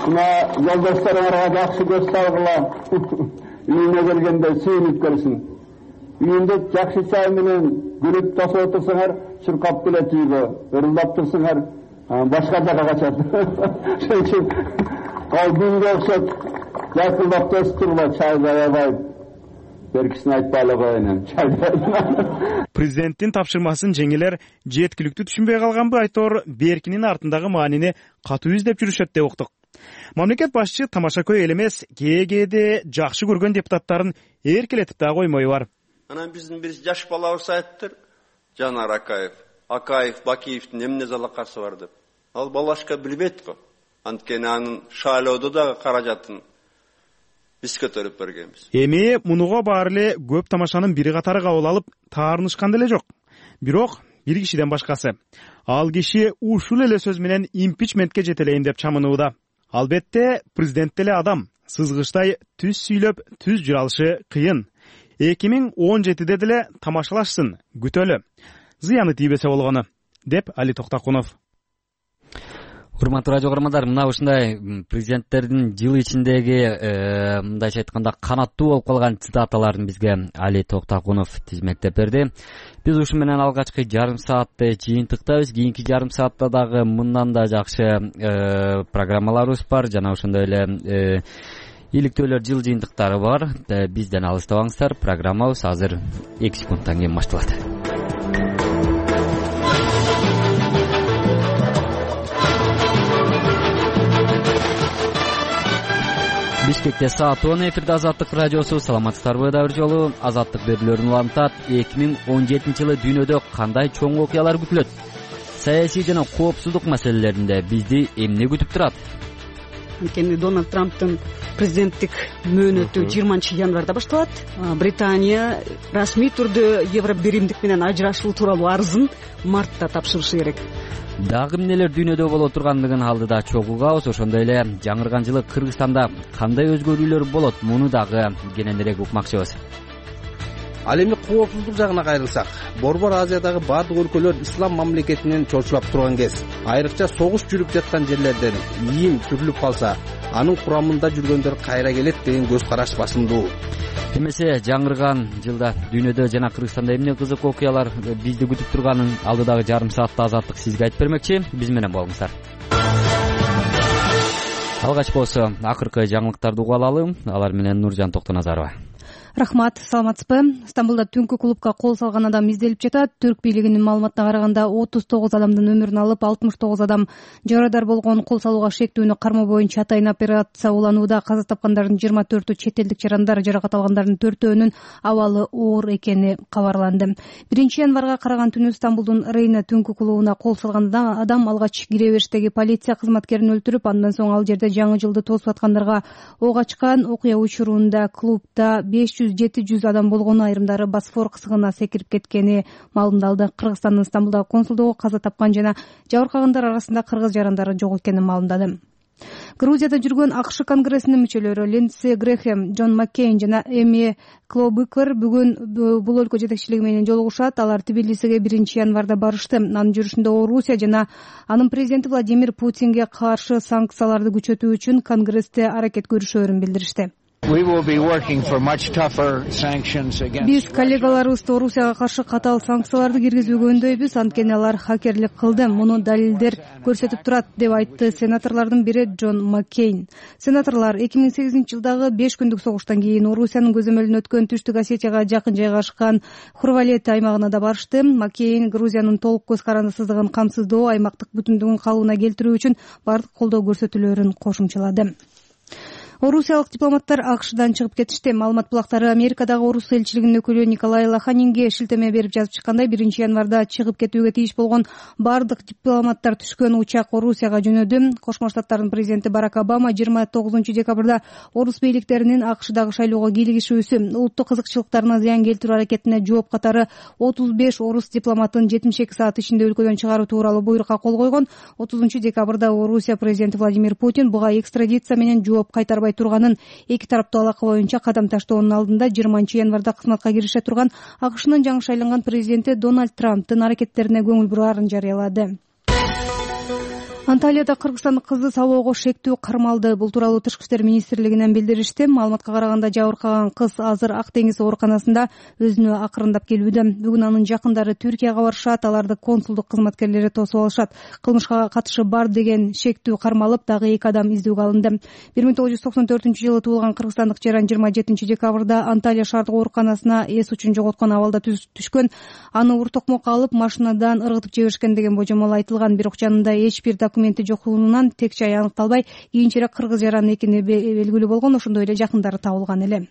Мына жолдошторуңарга жакшы көз салгыла. Үйүнө келгенде сүйүнүп келсин. Үйүндө жакшы чай менен күлүп тосуп отурсаңар, чуркап келет үйгө, ырылдап турсаңар, башка жака качат. Ошон үчүн ал күнгө окшоп жакылдап тосуп тургула, чайды аябай. Беркисин айтпай коеюн, чайды. Президенттин тапшырмасын жеңелер жеткиликтүү түшүнбөй калганбы айтор, беркинин артындагы маанини катуу издеп жүрүшөт деп уктук. Мамлекет башчы тамашакөй эл эмес, кээде жакшы көргөн депутаттарын эркелетип да коймой бар. Анан биздин бир жаш балабыз айттыр, Жанар Акаев, Акаев, Бакиевдин эмне залакасы бар деп. Ал балашка билбейт го. Анткени анын шайлоодо дагы каражатын биз көтөрүп бергенбиз. Эми мунуга баары эле көп тамашанын бири катары кабыл алып, таарынышкан деле жок. Бирок бир кишиден башкасы. Ал киши ушул эле сөз менен импичментке жетелейин деп чамынууда. Албетте президент деле адам, сызгычтай түз сүйлөп түз жүрө алышы кыйын. эки миң он жетиде деле тамашалашсын, күтөлү. Зыяны тийбесе болгону, деп Али Токтокунов. Урматтуу радио көрөрмандар, мына ушундай президенттердин жыл ичиндеги мындайча айтканда канаттуу болуп калган цитаталарын бизге Али Токтокунов тизмектеп берди. Биз ушу менен алгачкы жарым саатты жыйынтыктайбыз. Кийинки жарым саатта дагы мындан да жакшы программаларыбыз бар, жана ошондой эле иликтөөлөр жыл жыйынтыктары бар. Бизден алыстабаңыздар. Программабыз азыр эки секундтан кийин башталат. Бишкекте саат он, эфирде Азаттык радиосу. Саламатсыздарбы? Да бир жолу Азаттык берүүлөрүн улантат. эки миң он жетинчи жылы дүйнөдө кандай чоң окуялар күтүлөт? Саясий жана коопсуздук маселелеринде бизди эмне күтүп турат? Анткени Дональд Трамптын президенттик мөөнөтү жыйырманчы январда башталат. Британия расмий түрдө Евро биримдик менен ажырашуу тууралуу арызын мартта тапшырышы керек. Дагы эмнелер дүйнөдө боло тургандыгын алдыда чогуу угабыз. Ошондой эле жаңырган жылы Кыргызстанда кандай өзгөрүүлөр болот? Муну дагы кененирээк укмакчыбыз. Ал эми коопсуздук жагына кайрылсак, Борбор Азиядагы бардык өлкөлөр ислам мамлекетинен чочулап турган кез. Айрыкча согуш жүрүп жаткан жерлерден ийим сүрүлүп калса, анын курамында жүргөндөр кайра келет деген көз караш басымдуу. Эмесе жаңырган жылда дүйнөдө жана Кыргызстанда эмне кызык окуялар бизди күтүп турганын алдыдагы жарым саатта Азаттык сизге айтып бермекчи. Биз менен болуңуздар. Алгач болсо акыркы жаңылыктарды угуп алалы. Алар менен Нуржан Токтоназарова. Рахмат, саламатсызбы? Стамбулда түнкү клубка кол салган адам изделип жатат. Түрк бийлигинин маалыматына караганда отуз тогуз адамдын өмүрүн алып, алтымыш тогуз адам жарадар болгон. Кол салууга шектүүнү кармоо боюнча атайын операция уланууда. Каза тапкандардын жыйырма төртү чет элдик жарандар, жаракат алгандардын төртөөнүн абалы оор экени кабарланды. биринчи январга караган түнү Стамбулдун Рейна түнкү клубуна кол салган адам алгач кире бериштеги полиция кызматкерин өлтүрүп, андан соң ал жерде жаңы жылды тосуп аткандарга ок ачкан. Окуя учурунда клубда беш жүз жети жүз адам болгону, айрымдары Босфор кысыгына секирип кеткени маалымдалды. Кыргызстандын Стамбулдагы консулдугу каза тапкан жана жабыркагандар арасында кыргыз жарандары жок экенин маалымдады. Грузияда жүргөн АКШ конгрессинин мүчөлөрү Линдси Грэхэм, Джон Маккейн жана Эми Клобыкер бүгүн бул өлкө жетекчилиги менен жолугушат. Алар Тбилисиге биринчи январда барышты. Анын жүрүшүндө Орусия жана анын президенти Владимир Путинге каршы санкцияларды күчөтүү үчүн конгрессте аракет көрүшөөрүн билдиришти. Биз коллегаларыбызды Орусияга каршы катаал санкцияларды киргизүүгө өндөйбүз, анткени алар хакерлик кылды. Муну далилдер көрсөтүп турат, деп айтты сенаторлордун бири Джон Маккейн. Сенаторлор эки миң сегизинчи жылдагы беш күндүк согуштан кийин Орусиянын көзөмөлүнө өткөн Түштүк Осетияга жакын жайгашкан Хурвалет аймагына да барышты. Маккейн Грузиянын толук көз карандысыздыгын камсыздоо, аймактык бүтүндүгүн калыбына келтирүү үчүн бардык колдоо көрсөтүүлөрүн кошумчалады. Орусиялык дипломаттар АКШдан чыгып кетишти. Маалымат булактары Америкадагы орус элчилигинин өкүлү Николай Лоханинге шилтеме берип жазып чыккандай, биринчи январда чыгып кетүүгө тийиш болгон бардык дипломаттар түшкөн учак Орусияга жөнөдү. Кошмо Штаттардын президенти Барак Обама жыйырма тогузунчу декабрда орус бийликтеринин АКШдагы шайлоого кийлигишүүсү, улуттук кызыкчылыктарына зыян келтирүү аракетине жооп катары отуз беш орус дипломатын жетимиш эки саат ичинде өлкөдөн чыгаруу тууралуу буйрукка кол койгон. отузунчу декабрда Орусия президенти Владимир Путин буга экстрадиция менен жооп кайтарбай турганын, эки тараптуу алака боюнча кадам таштоонун алдында жыйырманчы январда кызматка кирише турган АКШнын жаңы шайланган президенти Дональд Трамптын аракеттерине көңүл бурарын жарыялады. Анталияда кыргызстандык кызды сабоого шектүү кармалды. Бул тууралуу Тышкы иштер министрлигинен билдиришти. Маалыматка караганда жабыркаган кыз азыр Ак деңиз ооруканасында өзүнө акырындап келүүдө. Бүгүн анын жакындары Түркияга барышат, аларды консулдук кызматкерлери тосуп алышат. Кылмышка катышы бар деген шектүү кармалып, дагы эки адам издөөгө алынды. бир миң тогуз жүз токсон төртүнчү жылы туулган кыргызстандык жаран жыйырма жетинчи декабрда Анталия шаардык ооруканасына эс учун жоготкон абалда түшкөн. Аны ур токмокко алып, машинадан ыргытып жиберишкен деген божомол айтылган. Бирок жанында эч бир документи жокугунан тек жай аныкталбай, кийинчерээк кыргыз жаран экени белгилүү болгон. Ошондой эле жакындары табылган эле.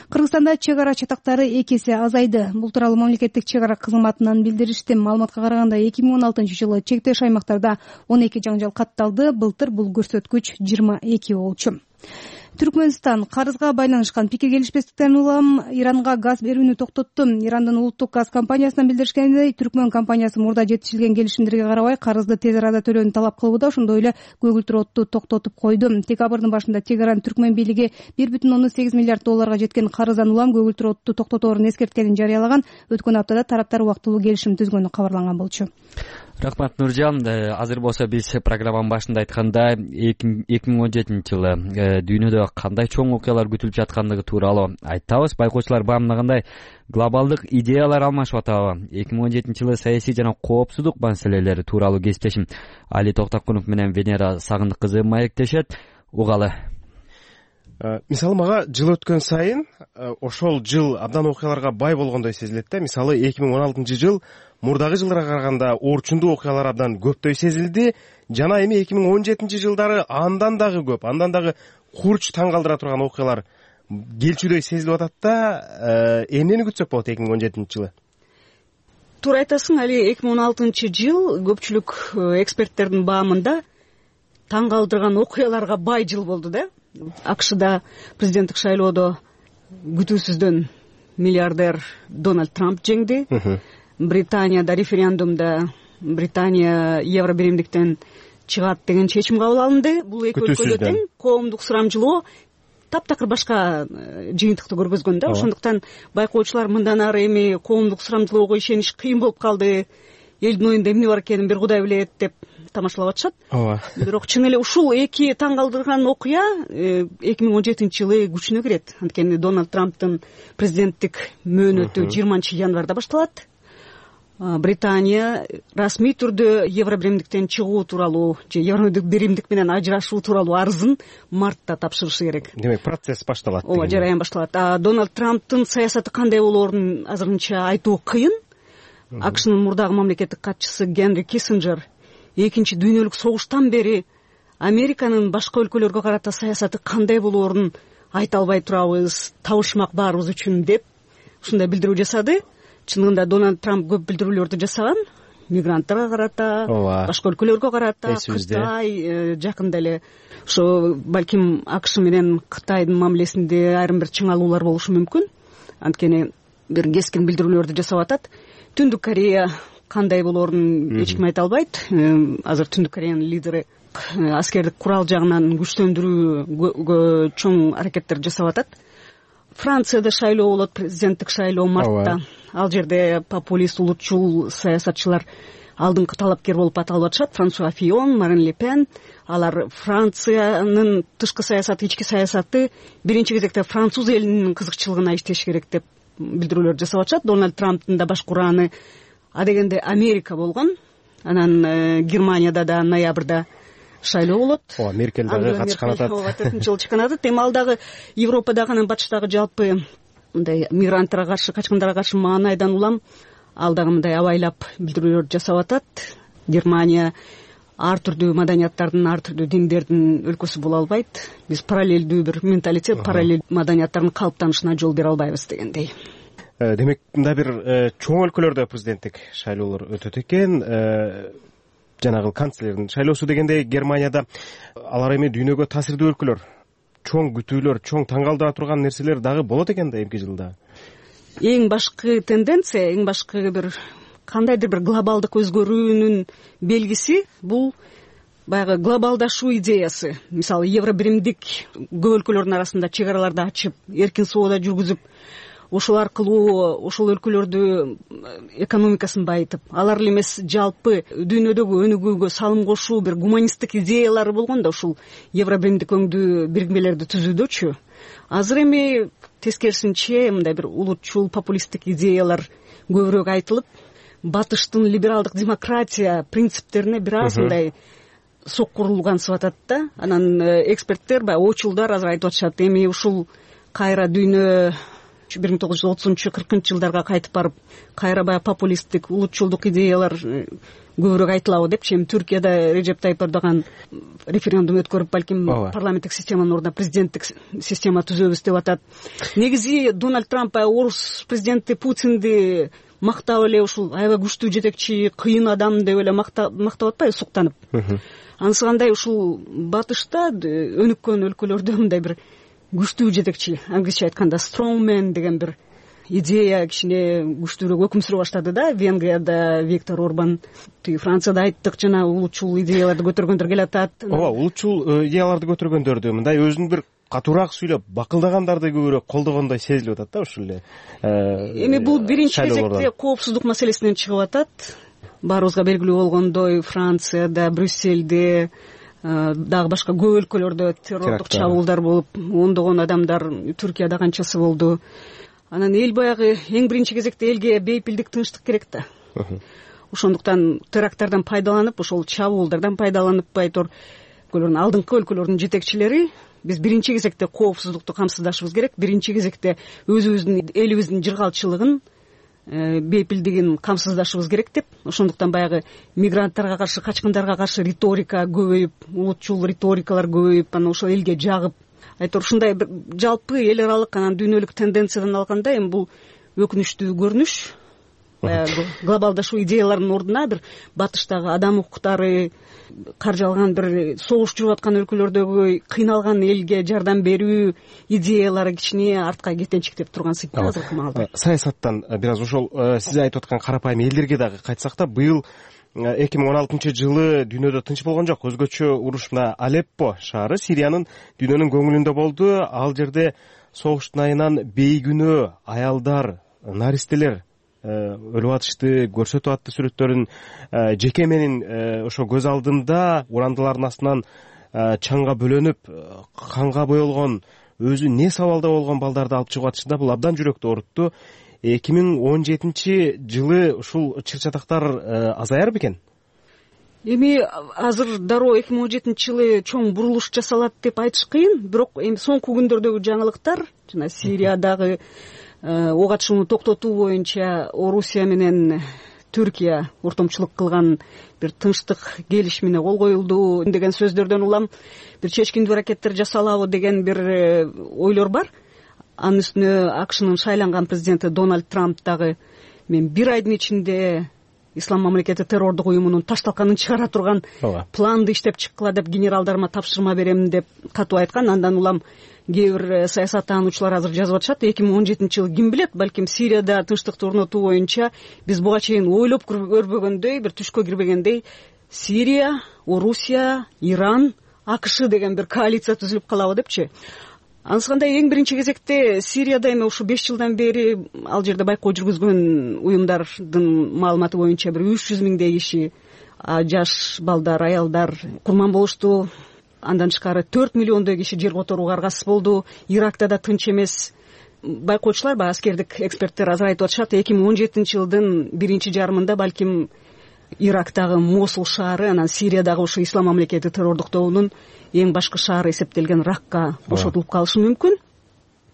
Кыргызстанда чек ара чатактары эки эсе азайды. Бул тууралуу мамлекеттик чек ара кызматынан билдиришти. Маалыматка караганда эки миң он алтынчы жылы чектеш аймактарда он эки жаңжал катталды. Былтыр бул көрсөткүч жыйырма эки болчу. Түркмөнстан карызга байланышкан пикир келишпестиктен улам Иранга газ берүүнү токтотту. Ирандын улуттук газ компаниясынан билдиришкендей, Түркмөн компаниясы мурда жетишилген келишимдерге карабай карызды тез арада төлөөнү талап кылууда, ошондой эле көгүлтүр отту токтотуп койду. Декабрдын башында Тегеран Түркмөн бийлиги бир бүтүн ондон сегиз миллиард долларга жеткен карыздан улам көгүлтүр отту токтоторун эскерткенин жарыялаган. Өткөн аптада тараптар убактылуу келишим түзгөнү кабарланган болчу. Рахмат, Нуржан. Азыр болсо биз программанын башында айткандай эки миң он жетинчи жылы дүйнөдө кандай чоң окуялар күтүлүп жаткандыгы тууралуу айтабыз. Байкоочулар баамдагандай глобалдык идеялар алмашып атабы. эки миң он жетинчи жылы саясий жана коопсуздук маселелери тууралуу кесиптешим Али Токтокунов менен Венера Сагындык кызы маектешет. Угалы. Мисалы мага жыл өткөн сайын ошол жыл абдан окуяларга бай болгондой сезилет да. Мисалы эки миң он алтынчы жыл мурдагы жылдарга караганда орчундуу окуялар абдан көптөй сезилди. Жана эми эки миң он жетинчи жылдары андан дагы көп, андан дагы курч таң калтыра турган окуялар келчүдөй сезилип атат да. Эмнени күтсөк болот эки миң он жетинчи жылы? Туура айтасың, Али, эки миң он алтынчы жыл көпчүлүк эксперттердин баамында таң калтырган окуяларга бай жыл болду да. АКШда президенттик шайлоодо күтүүсүздөн миллиардер Дональд Трамп жеңди. Британияда референдумда Британия Евробиримдиктен чыгат деген чечим кабыл алынды. Бул эки өлкөдө тең коомдук сурамжылоо таптакыр башка жыйынтыкты көргөзгөн да. Ошондуктан байкоочулар мындан ары эми коомдук сурамжылоого ишениш кыйын болуп калды. Элдин оюнда эмне бар экенин бир Кудай билет деп тамашалап атышат. Ооба. Бирок чын эле ушул эки таң калтырган окуя эки миң он жетинчи жылы күчүнө кирет. Анткени Дональд Трамптын президенттик мөөнөтү жыйырманчы январда башталат. Британия расмий түрдө Евробиримдиктен чыгуу тууралуу же Евробиримдик менен ажырашуу тууралуу арызын мартта тапшырышы керек. Демек, процесс башталат. Ооба, жараян башталат. А Дональд Трамптын саясаты кандай болоорун азырынча айтуу кыйын. АКШнын мурдагы мамлекеттик катчысы Генри Киссинджер экинчи дүйнөлүк согуштан бери Американын башка өлкөлөргө карата саясаты кандай болоорун айта албай турабыз, табышмак баарыбыз үчүн деп ушундай билдирүү жасады. Чынында Дональд Трамп көп билдирүүлөрдү жасаган, мигранттарга карата, башка өлкөлөргө карата, Кытай жакында эле ошо балким АКШ менен Кытайдын мамилесинде айрым бир чыңалуулар болушу мүмкүн. Анткени бир кескин билдирүүлөрдү жасап атат. Түндүк Корея кандай болоорун эч ким айта албайт. Азыр Түндүк Кореянын лидери аскердик курал жагынан күчтөндүрүү чоң аракеттер жасап атат. Францияда шайлоо болот, президенттик шайлоо мартта. Ал жерде популист, улутчул саясатчылар алдыңкы талапкер болуп аталып атышат. Франсуа Фион, Марин Ле Пен. Алар Франциянын тышкы саясаты, ички саясаты биринчи кезекте француз элинин кызыкчылыгына иштеш керек деп билдирүүлөр жасап атышат. Дональд Трамптын да башкы урааны адегенде Америка болгон. Анан Германияда да ноябрда шайлоо болот. Ооба, Меркель дагы катышкан атат. Ооба, төртүнчү жолу чыккан атат. Эми ал дагы Европадагы анан батыштагы жалпы мындай мигранттарга каршы, качкындарга каршы маанайдан улам ал дагы мындай абайлап билдирүүлөр жасап атат. Германия ар түрдүү маданияттардын, ар түрдүү диндердин өлкөсү боло албайт. Биз параллелдүү бир менталитет, параллель маданияттардын калыптанышына жол бере албайбыз дегендей. Демек, мындай бир чоң өлкөлөрдө президенттик шайлоолор өтөт экен. Жанагы канцлердин шайлоосу дегенде Германияда алар эми дүйнөгө таасирдүү өлкөлөр, чоң күтүүлөр, чоң таң калтыра турган нерселер дагы болот экен да эмки жылда. Эң башкы тенденция, эң башкы бир кандайдыр бир глобалдык өзгөрүүнүн белгиси бул баягы глобалдашуу идеясы. Мисалы, Евробиримдик көп өлкөлөрдүн арасында чек араларды ачып, эркин соода жүргүзүп, ошол аркылуу ошол өлкөлөрдү экономикасын байытып, алар эле эмес жалпы дүйнөдөгү өнүгүүгө салым кошуу бир гуманисттик идеялары болгон да ушул Евробиримдик өңдүү бирикмелерди түзүүдөчү. Азыр эми тескерисинче мындай бир улутчул популисттик идеялар көбүрөөк айтылып, батыштын либералдык демократия принциптерине бир аз мындай соккурулгансып атат да. Анан эксперттер, баягы очулдар азыр айтып атышат, эми ушул кайра дүйнө бир миң тогуз жүз отузунчу кыркынчы жылдарга кайтып барып, кайра баягы популисттик, улутчулдук идеялар көбүрөөк айтылабы депчи. Эми Түркияда Режеп Тайып Эрдоган референдум өткөрүп, балким парламенттик системанын ордуна президенттик система түзөбүз деп атат. Негизи Дональд Трамп баягы орус президенти Путинди мактап эле ушул аябай күчтүү жетекчи, кыйын адам деп эле мактап атпайбы, суктанып. Анысы кандай ушул батышта өнүккөн өлкөлөрдө мындай бир күчтүү жетекчи, англисче айтканда strongman деген бир идея кичине күчтүүрөөк өкүм сүрө баштады да. Венгрияда Виктор Орбан, тиги Францияда айттык, жана улутчул идеяларды көтөргөндөр келатат. ооба, улутчул идеяларды көтөргөндөрдү мындай өзүн бир катуураак сүйлөп бакылдагандарды көбүрөөк колдогондой сезилип атат да ушул эле. Эми бул биринчи кезекте коопсуздук маселесинен чыгып атат. Баарыбызга белгилүү болгондой, Францияда, Брюссельде, дагы башка көп өлкөлөрдө террордук чабуулдар болуп, ондогон адамдар, Түркияда канчасы болду. Анан эл баягы эң биринчи кезекте элге бейпилдик, тынчтык керек да. Ошондуктан теракттардан пайдаланып, ошол чабуулдардан пайдаланып, айтор өлкөлөрдүн алдыңкы өлкөлөрдүн жетекчилери биз биринчи кезекте коопсуздукту камсыздашыбыз керек. Биринчи кезекте өзүбүздүн элибиздин жыргалчылыгын, бейпилдигин камсыздашыбыз керек деп. Ошондуктан баягы мигранттарга каршы, качкындарга каршы риторика көбөйүп, улутчул риторикалар көбөйүп, анан ошол элге жагып, айтор ушундай бир жалпы эл аралык, анан дүйнөлүк тенденциядан алганда эми бул өкүнүчтүү көрүнүш. Баягы глобалдашуу идеяларынын ордуна бир батыштагы адам укуктары, каржалган бир согуш жүрүп аткан өлкөлөрдөгү кыйналган элге жардам берүү идеялары кичине артка кетенчиктеп турган сыйкы азыркы маалда. Саясаттан бир аз ошол сиз айтып аткан карапайым элдерге дагы кайтсак да, быйыл эки миң он алтынчы жылы дүйнөдө тынч болгон жок. Өзгөчө уруш мына Алеппо шаары Сириянын дүйнөнүн көңүлүндө болду. Ал жерде согуштун айынан бейгүнөө аялдар, наристелер өлүп атышты, көрсөтүп атты сүрөттөрүн. Жеке менин ошо көз алдымда урандылардын астынан чаңга бөлөнүп, канга боелгон, өзү не сабалда болгон балдарды алып чыгып атышты да, бул абдан жүрөктү оорутtu. эки миң он жетинчи жылы ушул чыр-чатактар азаяр бекен? Эми азыр дароо эки миң он жетинчи жылы чоң бурулуш жасалат деп айтыш кыйын, бирок эми соңку күндөрдөгү жаңылыктар, жана Сириядагы ок атышууну токтотуу боюнча Орусия менен Түркия ортомчулук кылган бир тынчтык келишимине кол коюлду деген сөздөрдөн улам бир чечкиндүү аракеттер жасалабы деген бир ойлор бар. Анын үстүнө АКШнын шайланган президенти Дональд Трамп дагы мен бир айдын ичинде Ислам мамлекети террордук уюмунун ташталканын чыгара турган планды иштеп чыккыла деп генералдарыма тапшырма берем деп катуу айткан. Андан улам кээ бир саясаттануучулар азыр жазып атышат, эки миң он жетинчи жылы ким билет, балким Сирияда тынчтыкты орнотуу боюнча биз буга чейин ойлоп көрбөгөндөй, бир түшкө кирбегендей Сирия, Орусия, Иран, АКШ деген бир коалиция түзүлүп калабы депчи. Анысыкандай эң биринчи кезекте Сирияда эми ушу беш жылдан бери ал жерде байкоо жүргүзгөн уюмдардын маалыматы боюнча бир үч жүз миңдей киши, жаш балдар, аялдар курман болушту. Андан тышкары төрт миллиондой киши жер которууга аргасыз болду. Иракта да тынч эмес. Байкоочулар, баягы аскердик эксперттер азыр айтып атышат, эки миң он жетинчи жылдын биринчи жарымында балким Ирактагы Мосул шаары, анан Сириядагы ушу Ислам мамлекети террордук тобунун эң башкы шаары эсептелген Ракка бошотулуп калышы мүмкүн.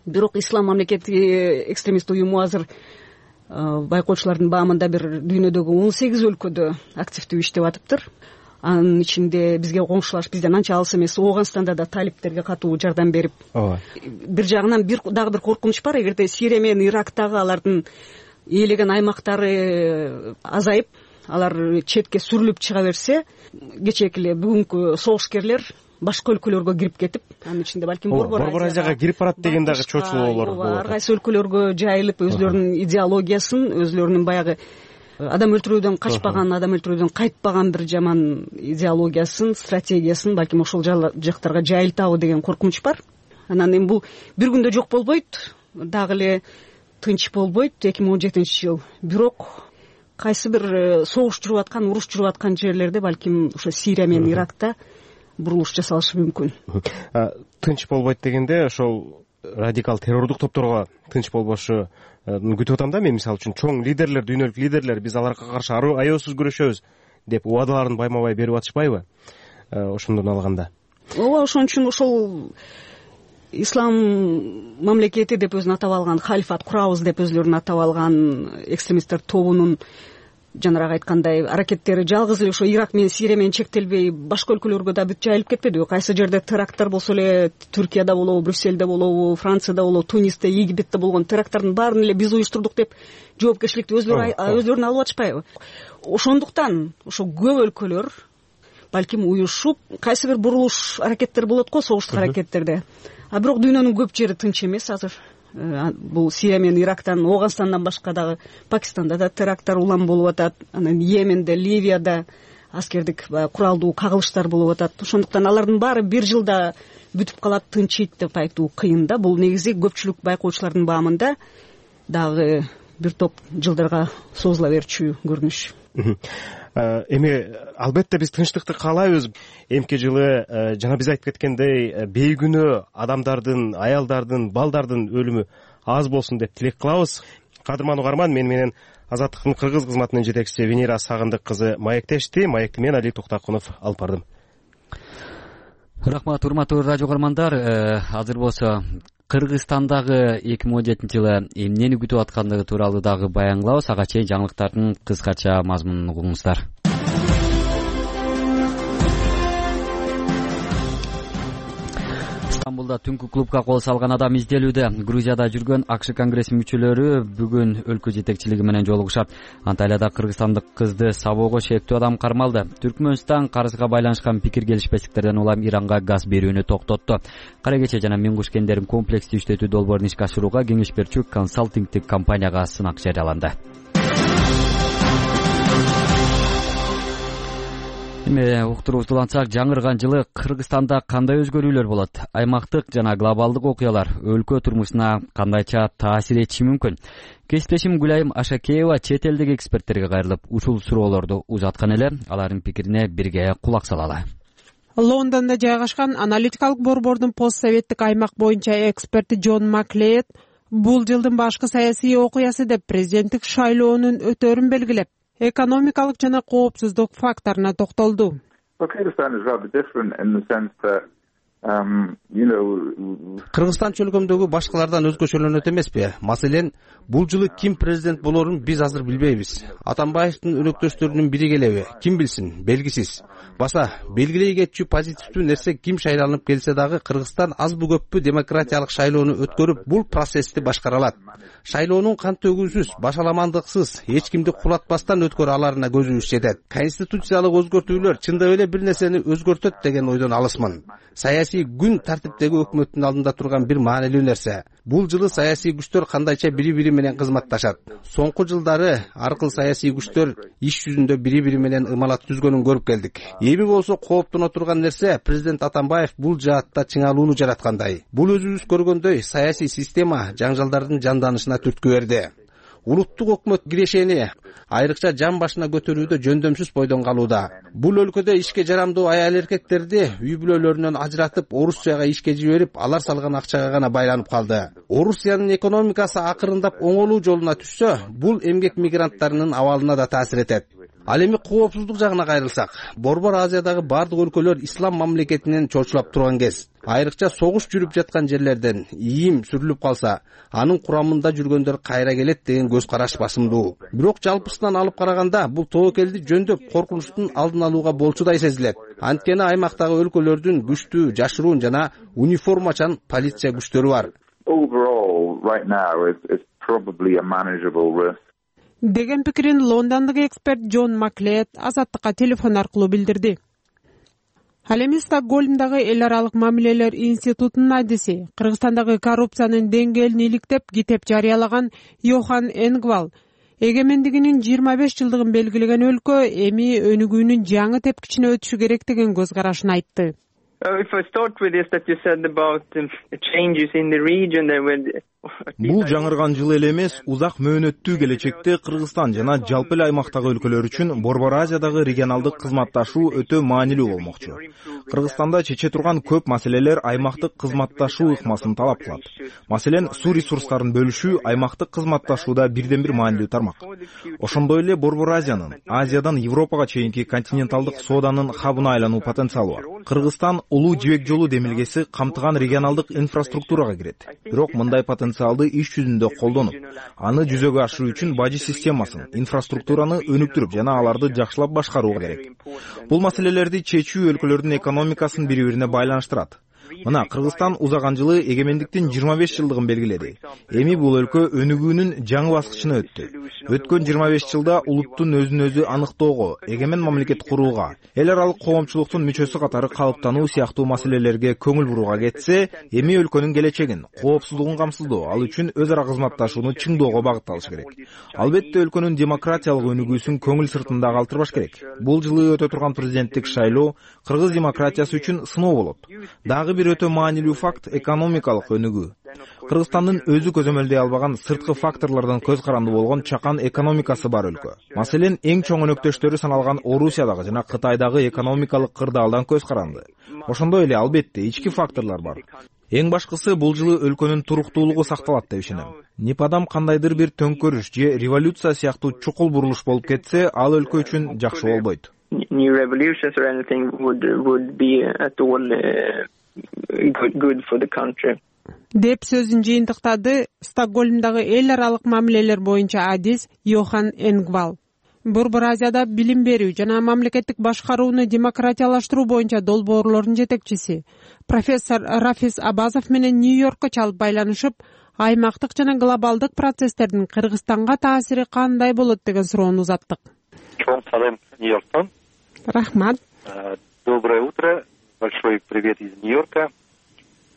Бирок Ислам мамлекети экстремист уюму азыр байкоочулардын баамында бир дүйнөдөгү он сегиз өлкөдө активдүү иштеп атыптыр. Анын ичинде бизге коңшулаш, бизден анча алыс эмес Ооганстанда да талиптерге катуу жардам берип. Бир жагынан бир дагы бир коркунуч бар, эгерде Сирия менен Ирактагы алардын ээлеген аймактары азайып, алар четке сүрүлүп чыга берсе, кечээки эле бүгүнкү согушкерлер башка өлкөлөргө кирип кетип, анын ичинде балким Борбор Азияга кирип барат деген дагы чочулоолор болот. Ар кайсы өлкөлөргө жайылып, өзлөрүнүн идеологиясын, өзлөрүнүн баягы адам өлтүрүүдөн качпаган, адам өлтүрүүдөн кайтпаган бир жаман идеологиясын, стратегиясын балким ошол жактарга жайылтабы деген коркунуч бар. Анан эми бул бир күндө жок болбойт, дагы эле тынч болбойт эки миң он жетинчи жыл. Бирок кайсы бир согуш жүрүп аткан, уруш жүрүп аткан жерлерде балким ошо Сирия менен Иракта бурулуш жасалышы мүмкүн. Тынч болбойт дегенде ошол радикал террордук топторго тынч болбошу күтүп атам да. Мен мисалы үчүн чоң лидерлер, дүйнөлүк лидерлер биз аларга каршы аеосуз күрөшөбүз деп убадаларын байма-бай берип атышпайбы? Ошондон алганда. Ооба, ошон үчүн ошол Ислам мамлекети деп өзүн атап алган, халифат курабыз деп өзлөрүн атап алган экстремисттер тобунун жанагы айткандай аракеттери жалгыз эле ошо Ирак менен Сирия менен чектелбей, башка өлкөлөргө да бүт жайылып кетпедиби? Кайсы жерде теракттар болсо эле, Түркияда болобу, Брюссельде болобу, Францияда болобу, Тунисте, Египетте болгон теракттардын баарын эле биз уюштурдук деп жоопкерчиликти өзлөрү өзлөрүнө алып атышпайбы? Ошондуктан ошо көп өлкөлөр балким уюшуп, кайсы бир бурулуш аракеттер болот го, согуштук аракеттерде. а бирок дүйнөнүн көп жери тынч эмес азыр. Бул Сирия менен Ирактан, Ооганстандан башка дагы Пакистанда да теракттар улам болуп атат, анан Йеменде, Ливияда аскердик куралдуу кагылыштар болуп атат. Ошондуктан алардын баары бир жылда бүтүп калат, тынчыйт деп айтуу кыйын да. Бул негизи көпчүлүк байкоочулардын баамында дагы бир топ жылдарга созула берчү көрүнүш. Эми албетте биз тынчтыкты каалайбыз. Эмки жылы жана биз айтып кеткендей бейгүнөө адамдардын, аялдардын, балдардын өлүмү аз болсун деп тилек кылабыз. Кадырман угарман, мен менен Азаттыктын кыргыз кызматынын жетекчиси Венера Сагындык кызы маектешти. Маекти мен Али Токтакунов алып бардым. Рахмат, урматтуу радио угармандар. Азыр болсо Кыргызстандагы эки миң он жетинчи жылы эмнени күтүп аткандыгы тууралуу дагы баян кылабыз. Ага чейин жаңылыктардын кыскача мазмунун угуңуздар. Стамбулда түнкү клубка кол салган адам изделүүдө. Грузияда жүргөн АКШ конгрессинин мүчөлөрү бүгүн өлкө жетекчилиги менен жолугушат. Анталияда кыргызстандык кызды сабоого шектүү адам кармалды. Түркмөнстан карызга байланышкан пикир келишпестиктерден улам Иранга газ берүүнү токтотту. Кара кече жана Миңгуш кендерин комплекстүү иштетүү долбоорун ишке ашырууга кеңеш берчү консалтингтик компанияга сынак жарыяланды. Эми уктуруубузду улантсак, жаңырган жылы Кыргызстанда кандай өзгөрүүлөр болот? Аймактык жана глобалдык окуялар өлкө турмушуна кандайча таасир этиши мүмкүн? Кесиптешим Гүлайым Ашакеева чет элдик эксперттерге кайрылып, ушул суроолорду узаткан эле. Алардын пикирине бирге кулак салалы. Лондондо жайгашкан аналитикалык борбордун постсоветтик аймак боюнча эксперти Джон Маклейд бул жылдын башкы саясий окуясы деп президенттик шайлоонун өтөрүн белгилеп, экономикалык жана коопсуздук факторуна токтолду. Кыргызстан чөлкөмдөгү башкалардан өзгөчөлөнөт эмеспи? Маселен, бул жылы ким президент болорун биз азыр билбейбиз. Атамбаевдин өнөктөштөрүнүн бири келеби? Ким билсин? Белгисиз. Баса, белгилей кетчү позитивдүү нерсе ким шайланып келсе дагы Кыргызстан азбы көппү демократиялык шайлоону өткөрүп, бул процессти башкара алат. Шайлоонун кан төгүүсүз, башаламандыксыз, эч кимди кулатпастан өткөрө аларына көзүбүз жетет. Конституциялык өзгөртүүлөр чындап эле бир нерсени өзгөртөт деген ойдон алысмын. Саясий күн тартиптеги өкмөттүн алдында турган бир маанилүү нерсе. Бул жылы саясий күчтөр кандайча бири-бири менен кызматташат. Соңку жылдары аркыл саясий күчтөр иш жүзүндө бири-бири менен ымалат түзгөнүн көрүп келдик. Эми болсо кооптоно турган нерсе президент Атамбаев бул жаатта чыңалууну жараткандай. Бул өзүбүз көргөндөй саясий система жаңжалдардын жанданышына түрткү берди. Улуттук өкмөт кирешени айрыкча жан башына көтөрүүдө жөндөмсүз бойдон калууда. Бул өлкөдө ишке жарамдуу аял эркектерди үй бүлөлөрүнөн ажыратып, Орусияга ишке жиберип, алар салган акчага гана байланып калды. Орусиянын экономикасы акырындап оңолуу жолуна түшсө, бул эмгек мигранттарынын абалына да таасир этет. Ал эми коопсуздук жагына кайрылсак, Борбор Азиядагы бардык өлкөлөр ислам мамлекетинен чочулап турган кез. Айрыкча согуш жүрүп жаткан жерлерден ийим сүрүлүп калса, анын курамында жүргөндөр кайра келет деген көз караш басымдуу. Бирок жалпысынан алып караганда, бул тобокелди жөндөп коркунучтун алдын алууга болчудай сезилет. Анткени аймактагы өлкөлөрдүн күчтүү, жашыруун жана униформачан полиция күчтөрү бар. Деген пикирин лондондук эксперт Джон Маклейд Азаттыкка телефон аркылуу билдирди. Ал эми Стокгольмдагы эл аралык мамилелер институтунун адиси, Кыргызстандагы коррупциянын деңгээлин иликтеп китеп жарыялаган Йохан Энгвал эгемендигинин жыйырма беш жылдыгын белгилеген өлкө эми өнүгүүнүн жаңы тепкичине өтүшү керек деген көз карашын айтты. Бул жаңырган жыл эле эмес, узак мөөнөттүү келечекте Кыргызстан жана жалпы эле аймактагы өлкөлөр үчүн Борбор Азиядагы регионалдык кызматташуу өтө маанилүү болмокчу. Кыргызстанда чече турган көп маселелер аймактык кызматташуу ыкмасын талап кылат. Маселен, суу ресурстарын бөлүшүү аймактык кызматташууда бирден бир маанилүү тармак. Ошондой эле Борбор Азиянын Азиядан Европага чейинки континенталдык сооданын хабына айлануу потенциалы бар. Кыргызстан улуу жибек жолу демилгеси камтыган регионалдык инфраструктурага кирет. Бирок мындай потенциалды иш жүзүндө колдонуп, аны жүзөгө ашыруу үчүн бажы системасын, инфраструктураны өнүктүрүп жана аларды жакшылап башкаруу керек. Бул маселелерди чечүү өлкөлөрдүн экономикасын бири-бирине байланыштырат. Мына Кыргызстан узаган жылы эгемендиктин жыйырма беш жылдыгын белгиледи. Эми бул өлкө өнүгүүнүн жаңы баскычына өттү. Өткөн жыйырма беш жылда улуттун өзүн өзү аныктоого, эгемен мамлекет курууга, эл аралык коомчулуктун мүчөсү катары калыптануу сыяктуу маселелерге көңүл бурууга кетсе, эми өлкөнүн келечегин, коопсуздугун камсыздоо, ал үчүн өз ара кызматташууну чыңдоого багытталыш керек. Албетте өлкөнүн демократиялык өнүгүүсүн көңүл сыртында калтырбаш керек. Бул жылы өтө турган президенттик шайлоо кыргыз демократиясы үчүн сыноо болот. Дагы бир өтө маанилүү факт — экономикалык өнүгүү. Кыргызстандын өзү көзөмөлдөй албаган сырткы факторлордон көз каранды болгон чакан экономикасы бар өлкө. Маселен, эң чоң өнөктөштөрү саналган Орусиядагы жана Кытайдагы экономикалык кырдаалдан көз каранды. Ошондой эле албетте ички факторлор бар. Эң башкысы, бул жылы өлкөнүн туруктуулугу сакталат деп ишенем. Непадам кандайдыр бир төңкөрүш же революция сыяктуу чукул бурулуш болуп кетсе, ал өлкө үчүн жакшы болбойт. New revolutions or anything would would be at all uh, good, good for the country. Деп сөзүн жыйынтыктады Стокгольмдагы эл аралык мамилелер боюнча адис Йохан Энгвал. Борбор Азияда билим берүү жана мамлекеттик башкарууну демократиялаштыруу боюнча долбоорлордун жетекчиси профессор Рафис Абазов менен Нью-Йоркко чалып байланышып, аймактык жана глобалдык процесстердин Кыргызстанга таасири кандай болот деген суроону узаттык. Чоң салем Нью-Йорктон. Рахмат. Доброе утро. Большой привет из Нью-Йорка.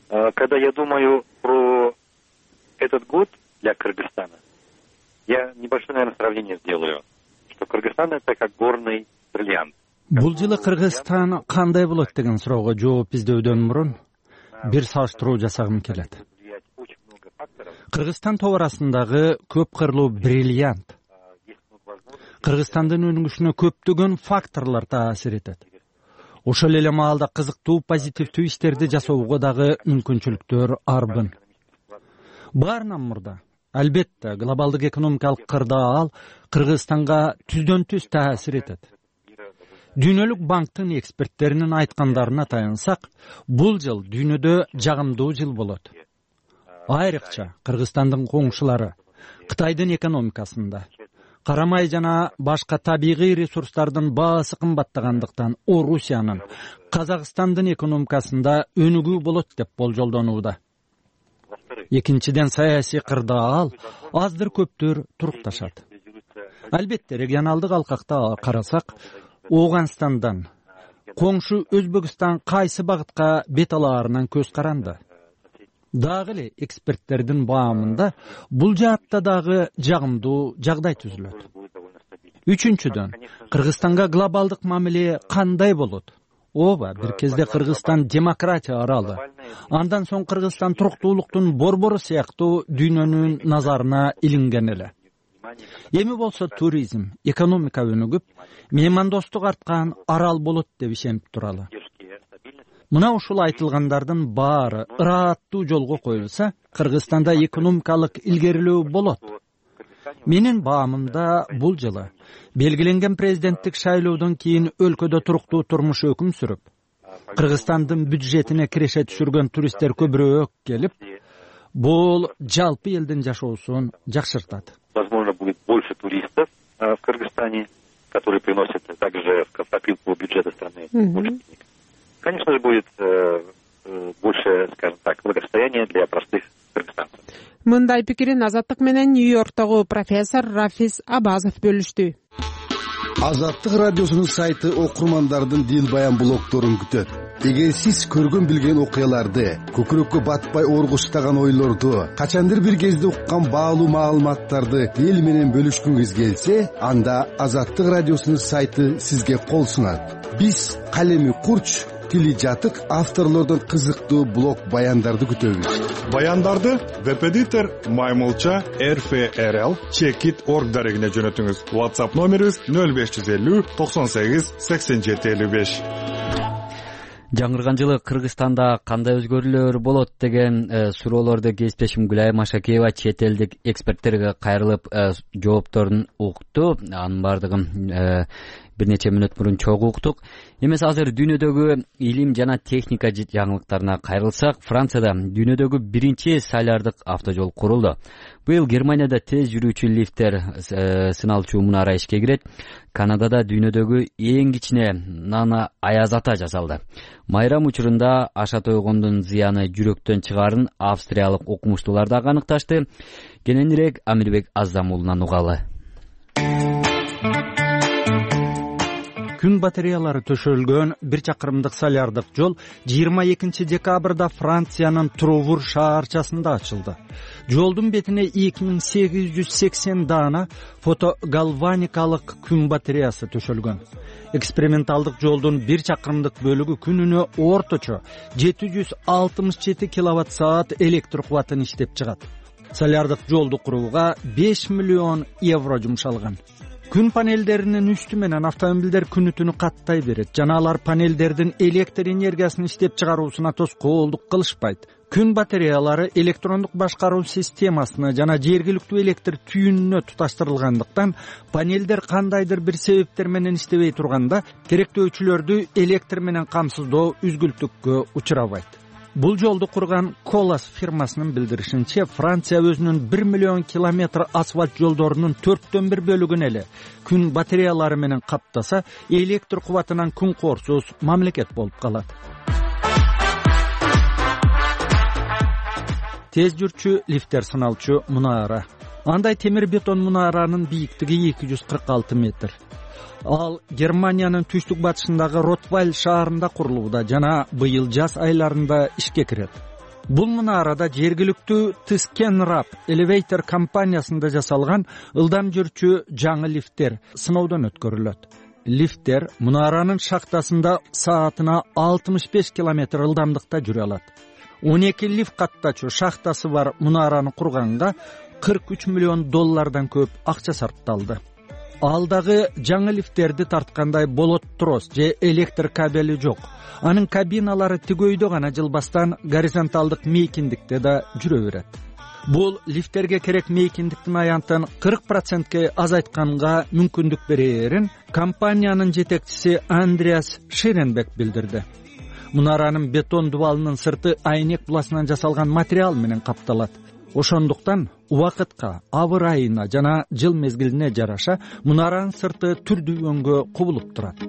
Когда я думаю про этот год для Кыргызстана, я небольшое, наверное, сравнение сделаю, что Кыргызстан — это как горный бриллиант. Бул жылы Кыргызстан кандай болот деген суроого жооп издөодөн мурун бир салыштыруу жасагым келет. Кыргызстан товарасындагы көп кырлуу бриллиант. Кыргызстандын өнүгүшүнө көптөгөн факторлор таасир этет. Ошол эле маалда кызыктуу позитивдүү иштерди жасоого дагы мүмкүнчүлүктөр арбын. Баарынан мурда, албетте, глобалдык экономикалык кырдаал Кыргызстанга түздөн түз таасир этет. Дүйнөлүк банктын эксперттеринин айткандарына таянсак, бул жыл дүйнөдө жагымдуу жыл болот. Айрыкча Кыргызстандын коңшулары Кытайдын экономикасында карамай жана башка табигый ресурстардын баасы кымбаттагандыктан Орусиянын, Казакстандын экономикасында өнүгүү болот деп болжолдонууда. Экинчиден, саясий кырдаал аздыр көптөр турукташат. Албетте, регионалдык алкакта карасак, Ооганстандан, коңшу Өзбекстан кайсы багытка бет алаарынан көз каранды. Дагы эле эксперттердин баамында бул жаатта дагы жагымдуу жагдай түзүлөт. Үчүнчүдөн, Кыргызстанга глобалдык мамиле кандай болот? Ооба, бир кезде Кыргызстан демократия аралы. Андан соң Кыргызстан туруктуулуктун борбору сыяктуу дүйнөнүн назарына илинген эле. Эми болсо туризм, экономика өнүгүп, меймандостук арткан арал болот деп ишенип туралы. Мына ушул айтылгандардын баары ырааттуу жолго коюлса, Кыргызстанда экономикалык илгерилөө болот. Менин баамымда бул жылы белгиленген президенттик шайлоодон кийин өлкөдө туруктуу турмуш өкүм сүрүп, Кыргызстандын бюджетине киреше түшүргөн туристтер көбүрөөк келип, бул жалпы элдин жашоосун жакшыртат. Возможно, будет больше туристов в Кыргызстане, которые приносят также в копилку бюджета страны больше денег. Конечно же, будет э, больше, скажем так, благосостояния для простых кыргызстанцев. Мындай пикирин Азаттык менен Нью-Йорктогу профессор Рафис Абазов бөлүштү. Азаттык радиосунун сайты окурмандардын дил баян блогторун күтөт. Эгер сиз көргөн билген окуяларды, көкүрөккө батпай оргуштаган ойлорду, качандыр бир кезде уккан баалуу маалыматтарды эл менен бөлүшкүңүз келсе, анда Азаттык радиосунун сайты сизге кол сунат. Биз калеми курч, тили жатык авторлордон кызыктуу блог баяндарды күтөбүз. Баяндарды веб-эдитор маймылча эр эф эр эл чекит точка орг дарегине жөнөтүңүз. WhatsApp номерибиз нөл беш жүз элүү токсон сегиз сексен жети элүү беш. Жаңырган жылы Кыргызстанда кандай өзгөрүүлөр болот деген э, суроолорду кесиптешим Гүлай Машакеева чет элдик эксперттерге кайрылып э, жоопторун укту. Анын бардыгын э, бир нече мүнөт мурун чогуу уктук. Эмес азыр дүйнөдөгү илим жана техника жаңылыктарына кайрылсак, Францияда дүйнөдөгү биринчи солярдык автожол курулду. Быйыл Германияда тез жүрүүчү лифттер сыналчу мунара ишке кирет. Канадада дүйнөдөгү эң кичине нана аяз ата жасалды. Майрам учурунда ашат ойгондун зыяны жүрөктөн чыгаарын австриялык окумуштуулар да аныкташты. Кененирээк Амирбек Аздам уулунан угалы. Күн батареялары төшөлгөн бир чакырымдык солярдык жол жыйырма экинчи декабрда Франциянын Трувур шаарчасында ачылды. Жолдун бетине эки миң сегиз жүз сексен даана фотогалваникалык күн батареясы төшөлгөн. Эксперименталдык жолдун бир чакырымдык бөлүгү күнүнө орточо жети жүз алтымыш жети киловатт саат электр кубатын иштеп чыгат. Солярдык жолду курууга беш миллион евро жумшалган. Күн панелдеринин үстү менен автомобилдер күнү түнү каттай берет жана алар панелдердин электр энергиясын иштеп чыгаруусуна тоскоолдук кылышпайт. Күн батареялары электрондук башкаруу системасына жана жергиликтүү электр түйүнүнө туташтырылгандыктан панелдер кандайдыр бир себептер менен иштебей турганда керектөөчүлөрдү электр менен камсыздоо үзгүлтүккө учурабайт. Бул жолду курган Колас фирмасынын билдиришинче, Франция өзүнүн бир миллион километр асфальт жолдорунун төрттөн бир бөлүгүн эле күн батареялары менен каптаса, электр кубатынан күн корсуз мамлекет болуп калат. Тез жүрчү лифттер сыналчу мунара. Андай темир бетон мунаранын бийиктиги эки жүз кырк алты метр. Ал Германиянын түштүк батышындагы Ротвайль шаарында курулууда жана быйыл жаз айларында ишке кирет. Бул мунарада жергиликтүү Тыскенрап Elevator компаниясында жасалган ылдам жүрчү жаңы лифттер сыноодон өткөрүлөт. Лифттер мунаранын шахтасында саатына алтымыш беш километр ылдамдыкта жүрө алат. он эки лифт каттачу шахтасы бар мунараны курганга кырк үч миллион доллардан көп акча сарпталды. Алдагы жаңы лифттерди тарткандай болот трос же электр кабели жок. Анын кабиналары тигөйдө гана жылбастан горизонталдык мейкиндикте да жүрө берет. Бул лифттерге керек мейкиндиктин аянтын кырк процентке азайтканга мүмкүндүк берерин компаниянын жетекчиси Андреас Ширенбек билдирди. Мунаранын бетон дубалынын сырты айнек буласынан жасалган материал менен капталат. Ошондуктан убакытка, абыр айына жана жыл мезгилине жараша мунаранын сырты түрдүү өңгө кубулуп турат.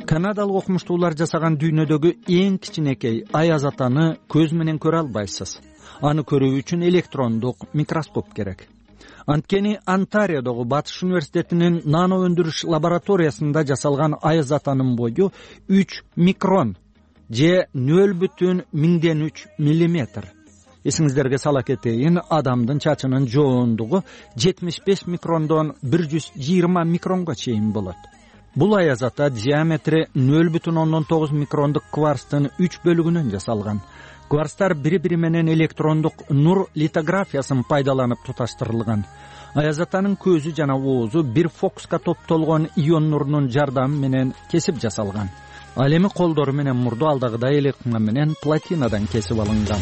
Канадалык окумуштуулар жасаган дүйнөдөгү эң кичинекей аяз атаны көз менен көрө албайсыз. Аны көрүү үчүн электрондук микроскоп керек. Анткени Онтариодогу Батыш университетинин нано өндүрүш лабораториясында жасалган аяз атанын бою үч микрон же нөл бүтүн миңден үч миллиметр. Эсиңиздерге сала кетейин, адамдын чачынын жоондугу жетимиш беш микрондон бир жүз жыйырма микронго чейин болот. Бул аяз ата диаметри нөл бүтүн ондон тогуз микрондук кварцтын үч бөлүгүнөн жасалган. Кварцтар бири-бири менен электрондук нур литографиясын пайдаланып туташтырылган. Аяз атанын көзү жана оозу бир фокуска топтолгон ион нурунун жардамы менен кесип жасалган. Ал эми колдору менен мурду алдагыдай эле кыңа менен платинадан кесип алынган.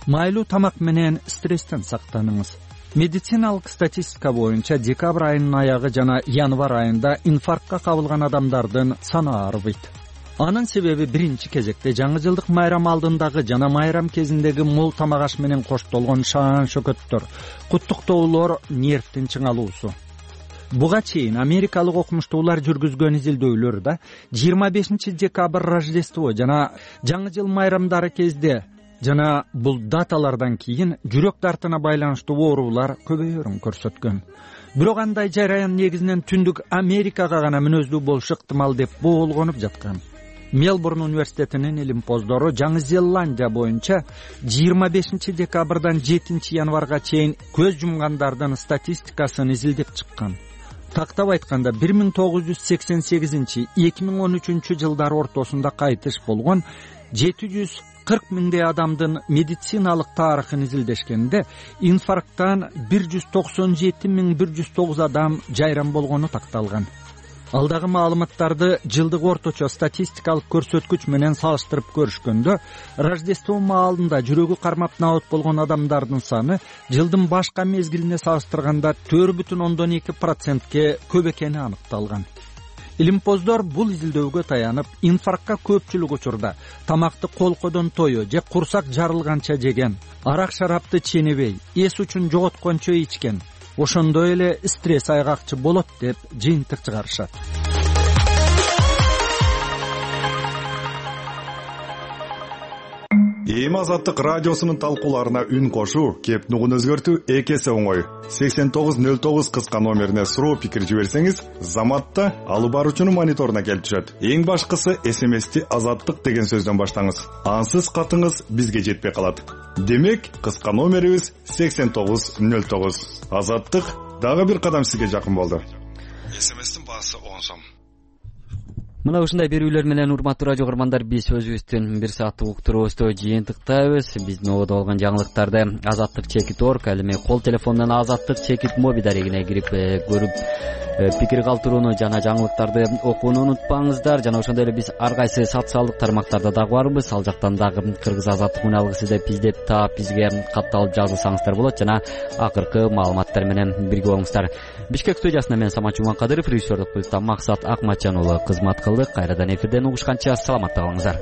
Майлуу тамак менен стресстен сактаныңыз. Медициналык статистика боюнча декабрь айынын аягы жана январь айында инфарктка кабылган адамдардын саны арбайт. Анын себеби биринчи кезекте жаңы жылдык майрам алдындагы жана майрам кезиндеги мол тамак аш менен коштолгон шаан шөкөттөр, куттуктоолор, нервдин чыңалуусу. Буга чейин америкалык окумуштуулар жүргүзгөн изилдөөлөрдө жыйырма бешинчи декабрь Рождество жана жаңы жыл майрамдары кезде жана бул даталардан кийин жүрөк дартына байланыштуу оорулар көбөйөрүн көрсөткөн. Бирок андай жараян негизинен түндүк Америкага гана мүнөздүү болушу ыктымал деп боолгонуп жаткан. Мелбурн университетинин илимпоздору Жаңы Зеландия боюнча жыйырма бешинчи декабрдан жетинчи январга чейин көз жумгандардын статистикасын изилдеп чыккан. Тактап айтканда бир миң тогуз жүз сексен сегизинчи — эки миң он үчүнчү жылдар ортосунда кайтыш болгон жети жүз кырк миңдей адамдын медициналык тарыхын изилдешкенде инфаркттан бир жүз токсон жети миң бир жүз тогуз адам жайран болгону такталган. Ал дагы маалыматтарды жылдык орточо статистикалык көрсөткүч менен салыштырып көрүшкөндө Рождество маалында жүрөгү кармап набат болгон адамдардын саны жылдын башка мезгилине салыштырганда төрт бүтүн ондон эки процентке көп экени аныкталган. Илимпоздор бул изилдөөгө таянып, инфарктка көпчүлүк учурда тамакты колкодон тою же курсак жарылганча жеген, арак шарапты ченебей, эс учун жоготкончо ичкен, ошондой эле стресс айгакчы болот деп жыйынтык чыгарышат. Эми Азаттык радиосунун талкууларына үн кошуу, кеп нугун өзгөртүү эки эсе оңой. сексен тогуз нөл тогуз кыска номерине суроо пикир жиберсеңиз, заматта алып баруучунун мониторуна келип түшөт. Эң башкысы эс эм эсти Азаттык деген сөздөн баштаңыз. Ансыз катыңыз бизге жетпей калат. Демек, кыска номерибиз сексен тогуз нөл тогуз. Азаттык дагы бир кадам сизге жакын болду. эс эм эстин баасы он сом. Мына ушундай берүүлөр менен урматтуу радио көрөрмандар, биз өзүбүздүн бир сааттык уктуруубузду жыйынтыктайбыз. Биздин ободо болгон жаңылыктарды Азаттык чекит орг, ал эми кол телефондон Азаттык чекит моби дарегине кирип көрүп пикир калтырууну жана жаңылыктарды окууну унутпаңыздар. Жана ошондой эле биз ар кайсы социалдык тармактарда дагы барбыз. Ал жактан дагы Кыргыз Азаттык уналгысы деп издеп таап бизге катталып жазылсаңыздар болот жана акыркы маалыматтар менен бирге болуңуздар. Бишкек студиясында мен Самат Жуманкадыров, режиссердик пультта Максат Акматжан уулу кызмат кылдык. Кайрадан эфирден угушканча саламатта калыңыздар.